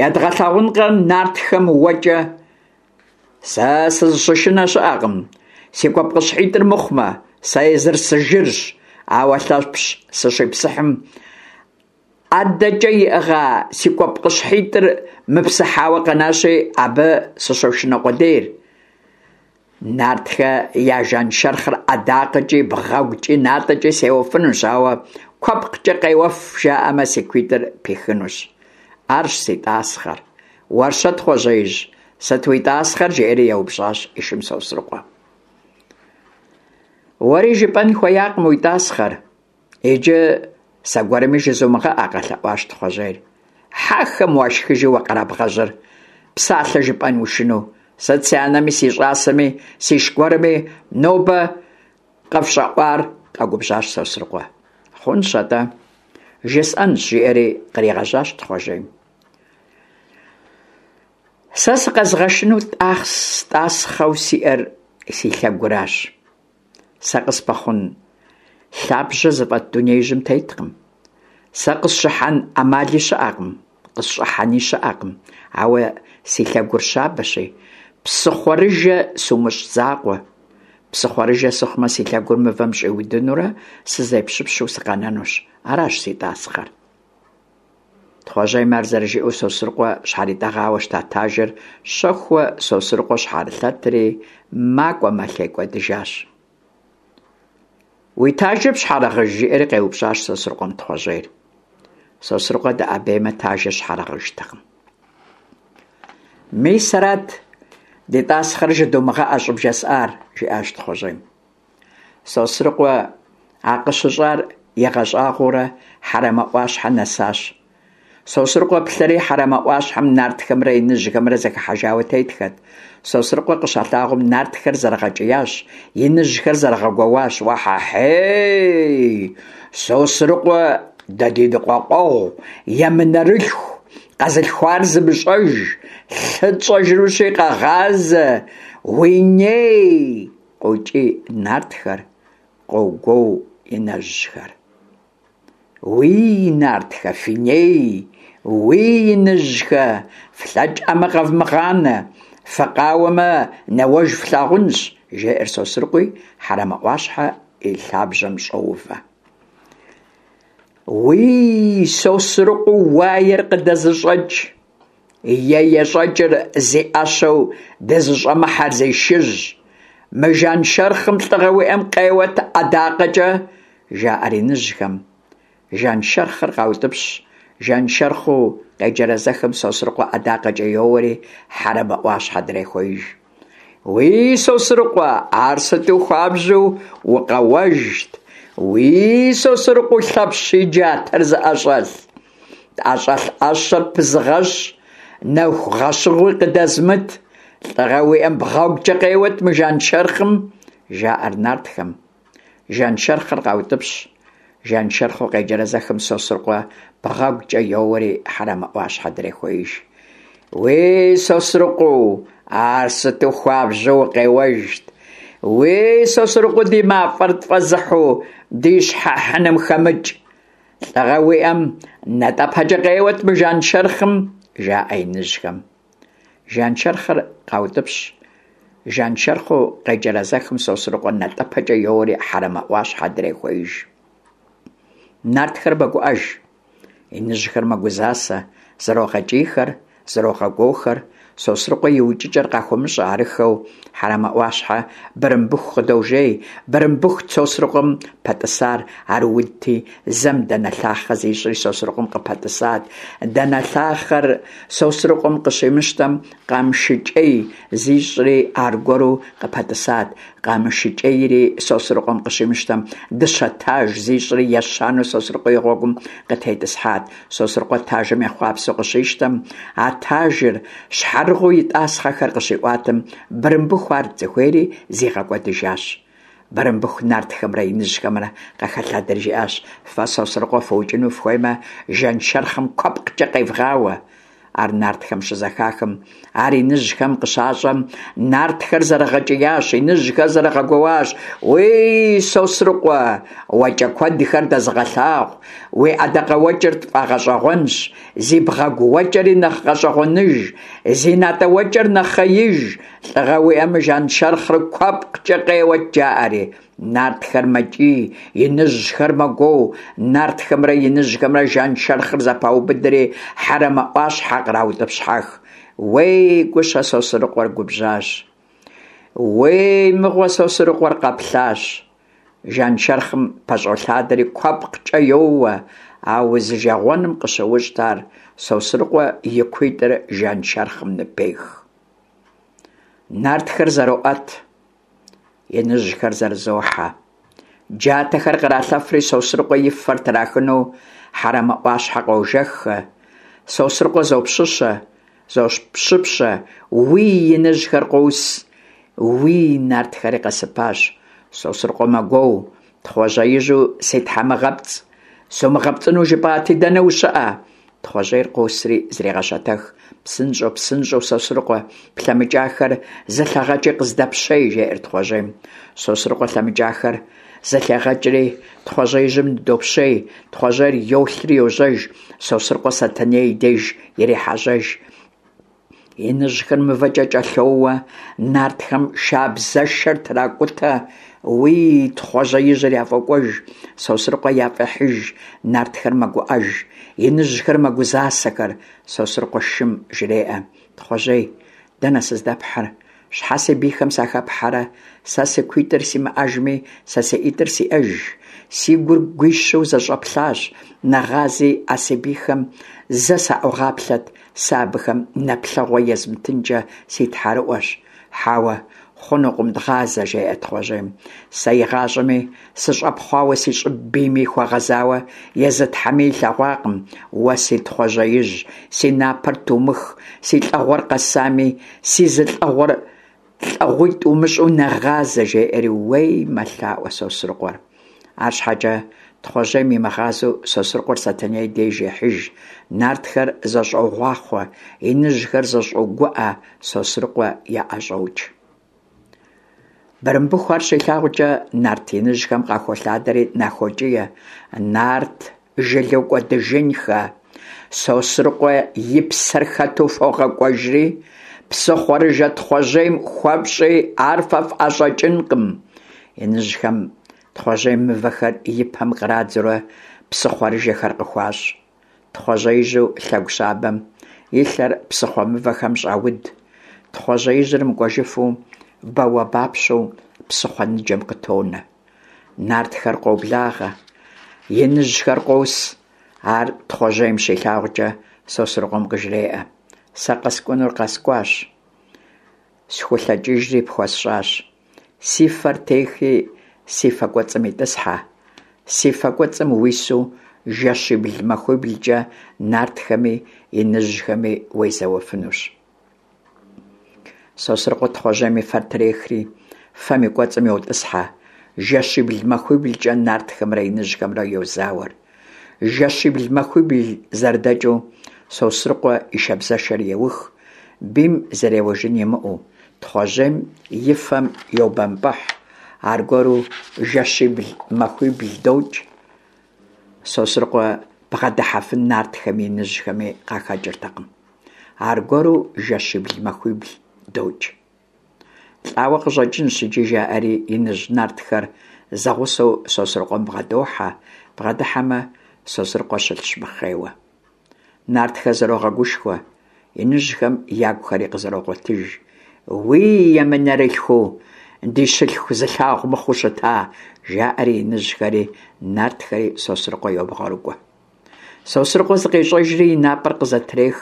едгъэлъагъункъэ нартхэм уэкӏэ. Сэ сызыщышынэ щыӏэкъым, си куэпкъыщхьитӏыр мыхъумэ, сэ езыр сыжырщ, ауэ Лъэпщ сыщипсыхьым ӏэдэкӏэ иӏыгъа си куэпкъыщхьитӏыр мыпсыхьауэ къэнащи, абы сыщошынэ къудейр. Нартхэ я жаншэрхъыр ӏэдакъэкӏи, бгъэгукӏи, натӏэкӏи сеуэфынущ, ауэ куэпкъкӏэ къеуэф жаӏэмэ, си куитӏыр пихынущ. Арщ си тӏасхъэр. Уэр-щэ, Тхъуэжьеижь, сыт уи тӏасхъэр? жиӏэри еупщӏащ и шым Сосрыкъуэ. Уэри жыпӏэн хуеякъым уи тӏасхъэр. Иджы сэ гуэрми жызумыгъэӏэ, къэлъэӏуащ Тхъуэжьейр. Хьэхэм уашхыжи уэ къэрабгъэжьыр, псалъэ жыпӏэн ушынэу. Сыт си анэми, си щӏасэми, сиш гуэрми нобэ къыфщӏэӏуар? къэгубжьащ Сосрыкъуэ. Хъунщ атӏэ, жысӏэнщ, жиӏэри къригъэжьащ Тхъуэжьейм. Сэ сыкъэзыгъэшынэу тӏасхъэу сиӏэр си лъэгуращ. Сэ къыспэхъун лъабжьэ зыфӏэт дунеижьым теткъым. Сэ къысщыхьэн ӏэмали щыӏэкъым, къысщӏыхьэни щыӏэкъым, ауэ си лъэгур щабэщи, псыхъуэрыжэ сумыщӏ закъуэ. Псыхъуэрыжэ сыхъумэ, си лъэгур мывэм щӏиудынурэ сызепщыпщу сыкъэнэнущ. Аращ си тӏасхъэр. Тхъуэжьейм ар зэрыжиӏэу Сосрыкъуэ щхьэритӏэгъауэ щыта тажыр щэхууэ Сосрыкъуэ щхьэрылъэтри, макӏуэ-мэлъей кӏуэдыжащ. Уи тажыр пщхьэрыгъыж? жиӏэри къеупщӏащ Сосрыкъуэм Тхъуэжьейр. Сосрыкъуэ дэӏэбеймэ, тажыр щхьэрыгъыжтэкъым. Мис арат ди тӏасхъэр жыдумыгъэӏэ щӏыбжесӏар, жиӏащ Тхъуэжьейм. Сосрыкъуэ а къыщыщӏар игъэщӏагъуэурэ Хьэрэмэ ӏуащхьэ нэсащ. Сосрыкъуэ плъэри Хьэрэмэ ӏуащхьэм нартхэмрэ иныжьхэмрэ зэхыхьэжауэ тетхэт. Сосрыкъуэ къыщалъагъум нартхэр зэрыгъэкӏиящ, иныжьхэр зэрыгъэгуэуащ: Уэхьэхьей! Сосрыкъуэ дэ ди ныкъуэкъуэгъу, емынэрылъху, къэзылъхуар зымыщӏэж, лъы тщӏэжынущи къэгъазэ, уи ней! Къокӏий нартхэр, къогуоу иныжьхэр. Уий, нартхэ, фи ней, уий, иныжьхэ, флъэкӏӏэмэ къэвмыгъанэ, фыкъауэмэ, нэуэж флъагъунщ, жеӏэр Сосрыкъуи, Хьэрэмэ ӏуащхьэ и лъабжьэм щӏоувэ. Уий, Сосрыкъуэу уаер къыдэзыщӏэкӏ, е ещӏэкӏыр зи ӏэщэу дызыщӏэмыхьэр зи шыжь, мы жаншэрхъым лӏыгъэ уиӏэм къеуэт ӏэдакъэкӏэ, жаӏэр иныжьхэм. Жаншэрхъыр къаутӏыпщ, жаншэрхъыу къеджэрэзэхым Сосрыкъуэ ӏэдакъэкӏэ йоуэри Хьэрэмэ ӏуащхьэ дрехуеиж. Уий, Сосрыкъуэ, ар сыту хуабжьу укъэуэжт! Уий, Сосрыкъуэу Лъэпщ и джатэр зыӏэщӏэлъ! Тӏэщӏэлъ ӏэщэр пызыгъэщ, нэху гъэщыгъуи къыдэзмыт! Лӏыгъэ уиӏэм бгъэгукӏэ къеуэт мы жаншэрхъым! жаӏэр нартхэм. Жаншэрхъыр къаутӏыпщ. Жаншэрхъыу къеджэрэзэхым Сосрыкъуэ бгъэгукӏэ йоуэри Хьэрэмэ ӏуащхьэ дрехуеиж. Уей, Сосрыкъуэу, ар сыту хуабжьу укъеуэжт! Уей, Сосрыкъуэу ди мафӏэр тфӏэзыхьу ди щхьэ хьыным хэмыкӏ! Лӏыгъэ уиӏэм натӏэпэкӏэ къеуэт мы жаншэрхъым, жаӏэ иныжьхэм. Жаншэрхъыр къаутӏыпщ. Жаншэрхъыу къеджэрэзэхым Сосрыкъуэ натӏэпэкӏэ йоуэри Хьэрэмэ ӏуащхьэ дрехуеиж. Нартхэр мэгуӏэж, иныжьхэр мэгузасэ, зэрогъэкӏийхэр, зэрогъэгуохэр, Сосрыкъуэ и укӏыкӏэр къахуэмыщӏэ арыххэу Хьэрэмэ ӏуащхьэ Бырымбыху къыдожей. Бырымбыхут Сосрыкъуэм пэтӏысар, ар удти, зэм данэлъахъэ зищӏри Сосрыкъуэм къыпэтӏысат. Данэлъахъэр Сосрыкъуэм къыщимыщтэм, къамышыкӏей зищӏри аргуэру къыпэтӏысат. Къамышыкӏейри Сосрыкъуэм къыщимыщтэм, дыщэ таж зищӏри ещанэу Сосрыкъуэ и гъуэгум къытетӏысхьат. Сосрыкъуэ тажым ехъуапсэу къыщищтэм, а тажыр щхьэрыгъыу и тӏасхъэхэр къыщиӏуатэм, Бырымбыху арт зыхуейри зигъэкӏуэдыжащ. Бырымбыху нартхэмрэ иныжьхэмрэ къахэлъадэри жиӏащ, Фэ Сосрыкъуэ фыукӏыну фыхуеймэ, жаншэрхъым куэпкъкӏэ къевгъауэ. Ар нартхэм щызэхахым, ар иныжьхэм къыщащӏэм, нартхэр зэрыгъэкӏиящ, иныжьхэр зэрыгъэгуоуащ, Уей, Сосрыкъуэ, уэкӏэ куэдхэр дэзыгъэлъагъу, уи ӏэдакъэуэкӏэр тфӏэгъэщӏэгъуэнщ, зи бгъэгу уэкӏэри нэхъ гъэщӏэгъуэныж, зи натӏэ уэкӏэр нэхъеиж, лӏыгъэ уиӏэмэ, жаншэрхъыр куэпкъкӏэ къеуэт, жаӏэри. Нартхэр мэкӏий, иныжьхэр мэгуоу, нартхэмрэ иныжьхэмрэ жаншэрхъыр зэпаубыдри, Хьэрэмэ ӏуащхьэ къраутӏыпщхьэх. Уей, гущэ Сосрыкъуэр губжьащ. Уей, мыгъуэ Сосрыкъуэр къэплъащ. Жаншэрхъым пэщӏолъадэри куэпкъкӏэ йоуэ, а узижэгъуэным къыщыущт ар, Сосрыкъуэ и куитӏыр жаншэрхъым ныпех. Нартхэр зэроӏэт. Иныжьхэр зэрызохьэ. Джатэхэр къралъэфри Сосрыкъуэ и фэр трахыну Хьэрэмэ ӏуащхьэ къожэххэ. Сосрыкъуэ зопщыщэ, зопщыпщэ, уий, иныжьхэр къос, уий, нартхэри къэсыпащ. Сосрыкъуэ мэгуоу, Тхъуэжьеижьу си тхьэмыгъэпцӏ, сумыгъэпцӏыну жыпӏати, дэнэ ущыӏэ? Тхъуэжьейр къосри зрегъэщэтэх. Псынщӏэу, псынщӏэу, Сосрыкъуэ, плъэмыкӏахэр зылъэгъэкӏи къыздэпщей, жеӏэр Тхъуэжьейм. Сосрыкъуэ лъэмыкӏахэр зылъегъэкӏри, Тхъуэжьеижьым ныдопщей. Тхъуэжьейр йолъри йожьэж, Сосрыкъуэ Сэтэней и деж ирехьэжьэж. Иныжьхэр мывэкӏэ кӏэлъоуэ, нартхэм шабзэшэр тракӏутэ. Уий, Тхъуэжьеижьыр яфӏокӏуэж, Сосрыкъуэ яфӏехьыж, нартхэр мэгуӏэж, иныжьхэр мэгузасэхэр. Сосрыкъуэ шым жреӏэ, Тхъуэжьей, дэнэ сыздэпхьыр? Щхьэ си бийхэм сахэпхьэрэ? Сэ си куитӏыр симыӏэжми, сэ си ӏитӏыр сиӏэж. Си гур гуищэу зэщӏэплъащ, нэгъази а си бийхэм зэ саӏугъаплъэт, Сэ абыхэм нэплъэгъуэ езмытынкӏэ си тхьэрыӏуэщ. Хьэуэ, хъунукъым дгъазэ, жеӏэ Тхъуэжьейм. Сэ игъащӏэми сыщӏэпхъуауэ си щӏыб бийми хуэгъэзауэ езы Тхьэми илъэгъуакъым. Уэ си Тхъуэжьеижь, си напэр тумых, си лӏэгъуэр къэсами, си зы лӏэгъуэр лӏэгъуитӏ умыщӏу нэгъазэ, жеӏэри, уей, мэлъаӏуэ Сосрыкъуэр. Арщхьэкӏэ Тхъуэжьейм имыгъазэу Сосрыкъуэр Сэтэней деж ехьыж. Нартхэр зэщӏогъуахъуэ, иныжьхэр зэщӏогуӏэ, Сосрыкъуэ яӏэщӏокӏ. Бырымбыху ар щилъагъукӏэ, нарт иныжьхэм къахолъадэри нахокӏие, Нарт жылэу кӏуэдыжынхэ, Сосрыкъуэ и псэр хэту фогъэкӏуэжри, псыхъуэрыжэ Тхъуэжьейм хуэфщӏи, ар фэ фӏэщӏэкӏынкъым. Иныжьхэм Тхъуэжьейм мывэхэр и пэм кърадзэурэ. псыхъуэрыжэхэр къыхуащӏ. Тхъуэжьеижьу лъэгу щабэм и лъэр псыхъуэ мывэхэм щӏауд. Тхъуэжьеижьыр мыкӏуэжыфу, бауэбапщэу псыхъуэ ныджэм къытонэ. Нартхэр къоблагъэ, иныжьхэр къос. Ар Тхъуэжьейм щилъагъукӏэ Сосрыкъуэм къыжреӏэ: Сэ къэскӏунур къэскӏуащ, схулъэкӏыжри пхуэсщӏащ. Си фэр техи, си фэ кӏуэцӏым итӏысхьэ. Си фэ кӏуэцӏым уису жэщибл-махуиблкӏэ нартхэми иныжьхэми уезэуэфынущ. Сосрыкъуэ Тхъуэжьейм и фэр трехри, фэм и кӏуэцӏым йотӏысхьэ. Жэщибл-махуиблкӏэ нартхэмрэ иныжьхэмрэ йозауэр. Жэщибл-махуибл зэрыдэкӏыу, Сосрыкъуэ и шабзэшэр еух, бийм зэреуэжын имыӏэу, Тхъуэжьейм и фэм йобэмпӏыхь, аргуэру жэщибл-махуибл докӏ. Сосрыкъуэ бгъэдыхьэфын нартхэми иныжьхэми къахэкӏыртэкъым. Аргуэру жэщибл-махуибл докӏ. Лӏауэ къыщӏэкӏынщ иджы, жаӏэри иныжь нартхэр зэгъусэу Сосрыкъуэм бгъэдохьэ, бгъэдыхьэмэ, Сосрыкъуэ щылъщ мыхъейуэ. Нартхэр зэрогъэгушхуэ, иныжьхэм ягухэри къызэрогъуэтыж. Уий, емынэрылъхуу, ди щылъху зылъагъу мыхъуу щыта, жаӏэри иныжьхэри нартхэри Сосрыкъуэ йобгъэрыкӏуэ. Сосрыкъуэ зыкъещӏэжри и напӏэр къызэтрех.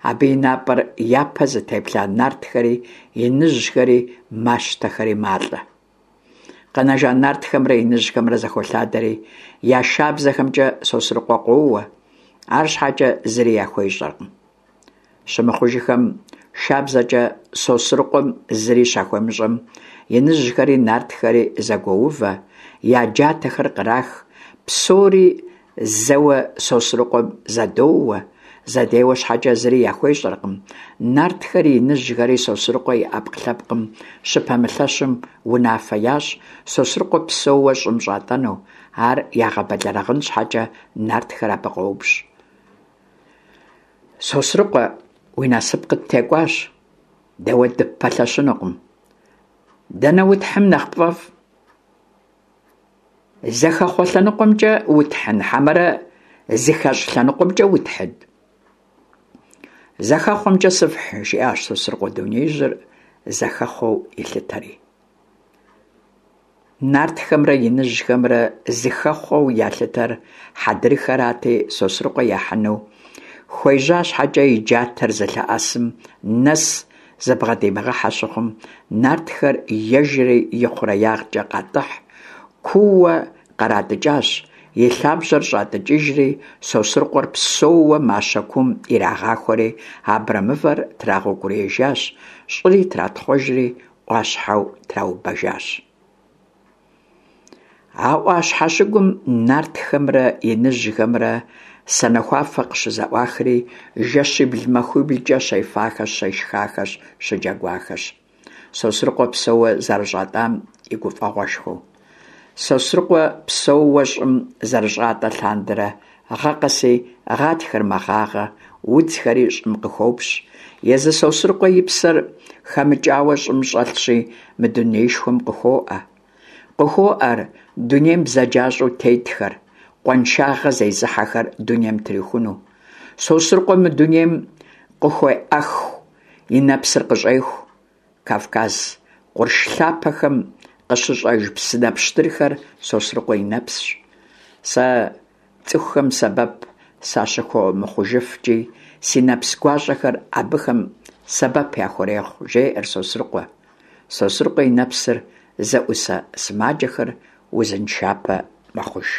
Абы и напӏэр япэ зытеплъа нартхэри, иныжьхэри, мащтэхэри малӏэ. Къэнэжа нартхэмрэ иныжьхэмрэ зэхолъадэри, я шабзэхэмкӏэ Сосрыкъуэ къоуэ, арщхьэкӏэ зыри яхуещӏэркъым. Щымыхъужыхэм, шабзэкӏэ Сосрыкъуэм зыри щахуемыщӏэм, иныжьхэри нартхэри зэгуоувэ, я джатэхэр кърах, псори зэуэ Сосрыкъуэм зэдоуэ, зэдеуэ щхьэкӏэ зыри яхуещӏэркъым. Нартхэри иныжьхэри Сосрыкъуэ и ӏэпкълъэпкъым щыпэмылъэщым унафэ ящӏ Сосрыкъуэ псэууэ щӏым щӏатӏэну, ар ягъэбэлэрыгъын щхьэкӏэ нартхэр абы къоупщӏ. Сосрыкъуэ, уи насып къыттекӏуащ, дэ уэ дыппэлъэщынукъым. Дэнэ утхьым нэхъ пфӏэфӏ? Зэхэхъуэ лъэныкъуэмкӏэ утхьын хьэмэрэ зыхэщӏ лъэныкъуэмкӏэ утхьын? Зэхэхъуэмкӏэ сыфхь, жиӏащ Сосрыкъуэ дунеижьыр зэхэхъуэу илъытэри. Нартхэмрэ иныжьхэмрэ зыхэхъуэу ялъытэр хьэдрыхэрати, Сосрыкъуэ яхьыну хуежьа щхьэкӏэ и джатэр зылъэӏэсым нэс зыбгъэдимыгъэхьэ щыхъум, нартхэр ежэри ихъуреягъкӏэ къатӏыхь, кууэ къратӏыкӏащ, и лъабжьэр щӏатӏыкӏыжри, Сосрыкъуэр псэууэ мащэ куум ирагъахуэри, абрэмывэр трагъэукӏуриежащ, щӏыри тратхъуэжри, ӏуащхьэу траубэжащ. А ӏуащхьэ щыгум нартхэмрэ иныжьхэмрэ санэхуафэ къыщызэӏуахри, жэщибл-махуиблкӏэ щефахэщ, щешхахэщ, щыджэгуахэщ. Сосрыкъуэ псэууэ зэрыщӏатӏам и гуфӏэгъуэшхуэу. Сосрыкъуэ псэууэ щӏым зэрыщӏатӏэ лъандэрэ гъэ къэси гъатхэр мэгъагъэ, удзхэри щӏым къыхопщ. Езы Сосрыкъуэ и псэр хэмыкӏауэ щӏым щӏэлъщи, мы дунеишхуэм къыхуоӏэ. Къыхуоӏэр дунейм бзаджащӏэу тетхэр, къуаншагъэ зезыхьэхэр дунейм трихуну. Сосрыкъуэ мы дунейм къыхуеӏэху, и нэпсыр къыщӏеху. Кавказ къурш лъапэхэм къыщыщӏэж псынэ пщтырхэр Сосрыкъуэ и нэпсщ. Сэ цӏыхухэм сэбэп сащыхуэмыхъужыфкӏи, си нэпс гуащӏэхэр абыхэм сэбэп яхурехъу, жеӏэр Сосрыкъуэ. Сосрыкъуэ и нэпсыр зэӏусэ сымаджэхэр узыншапэ мэхъуж.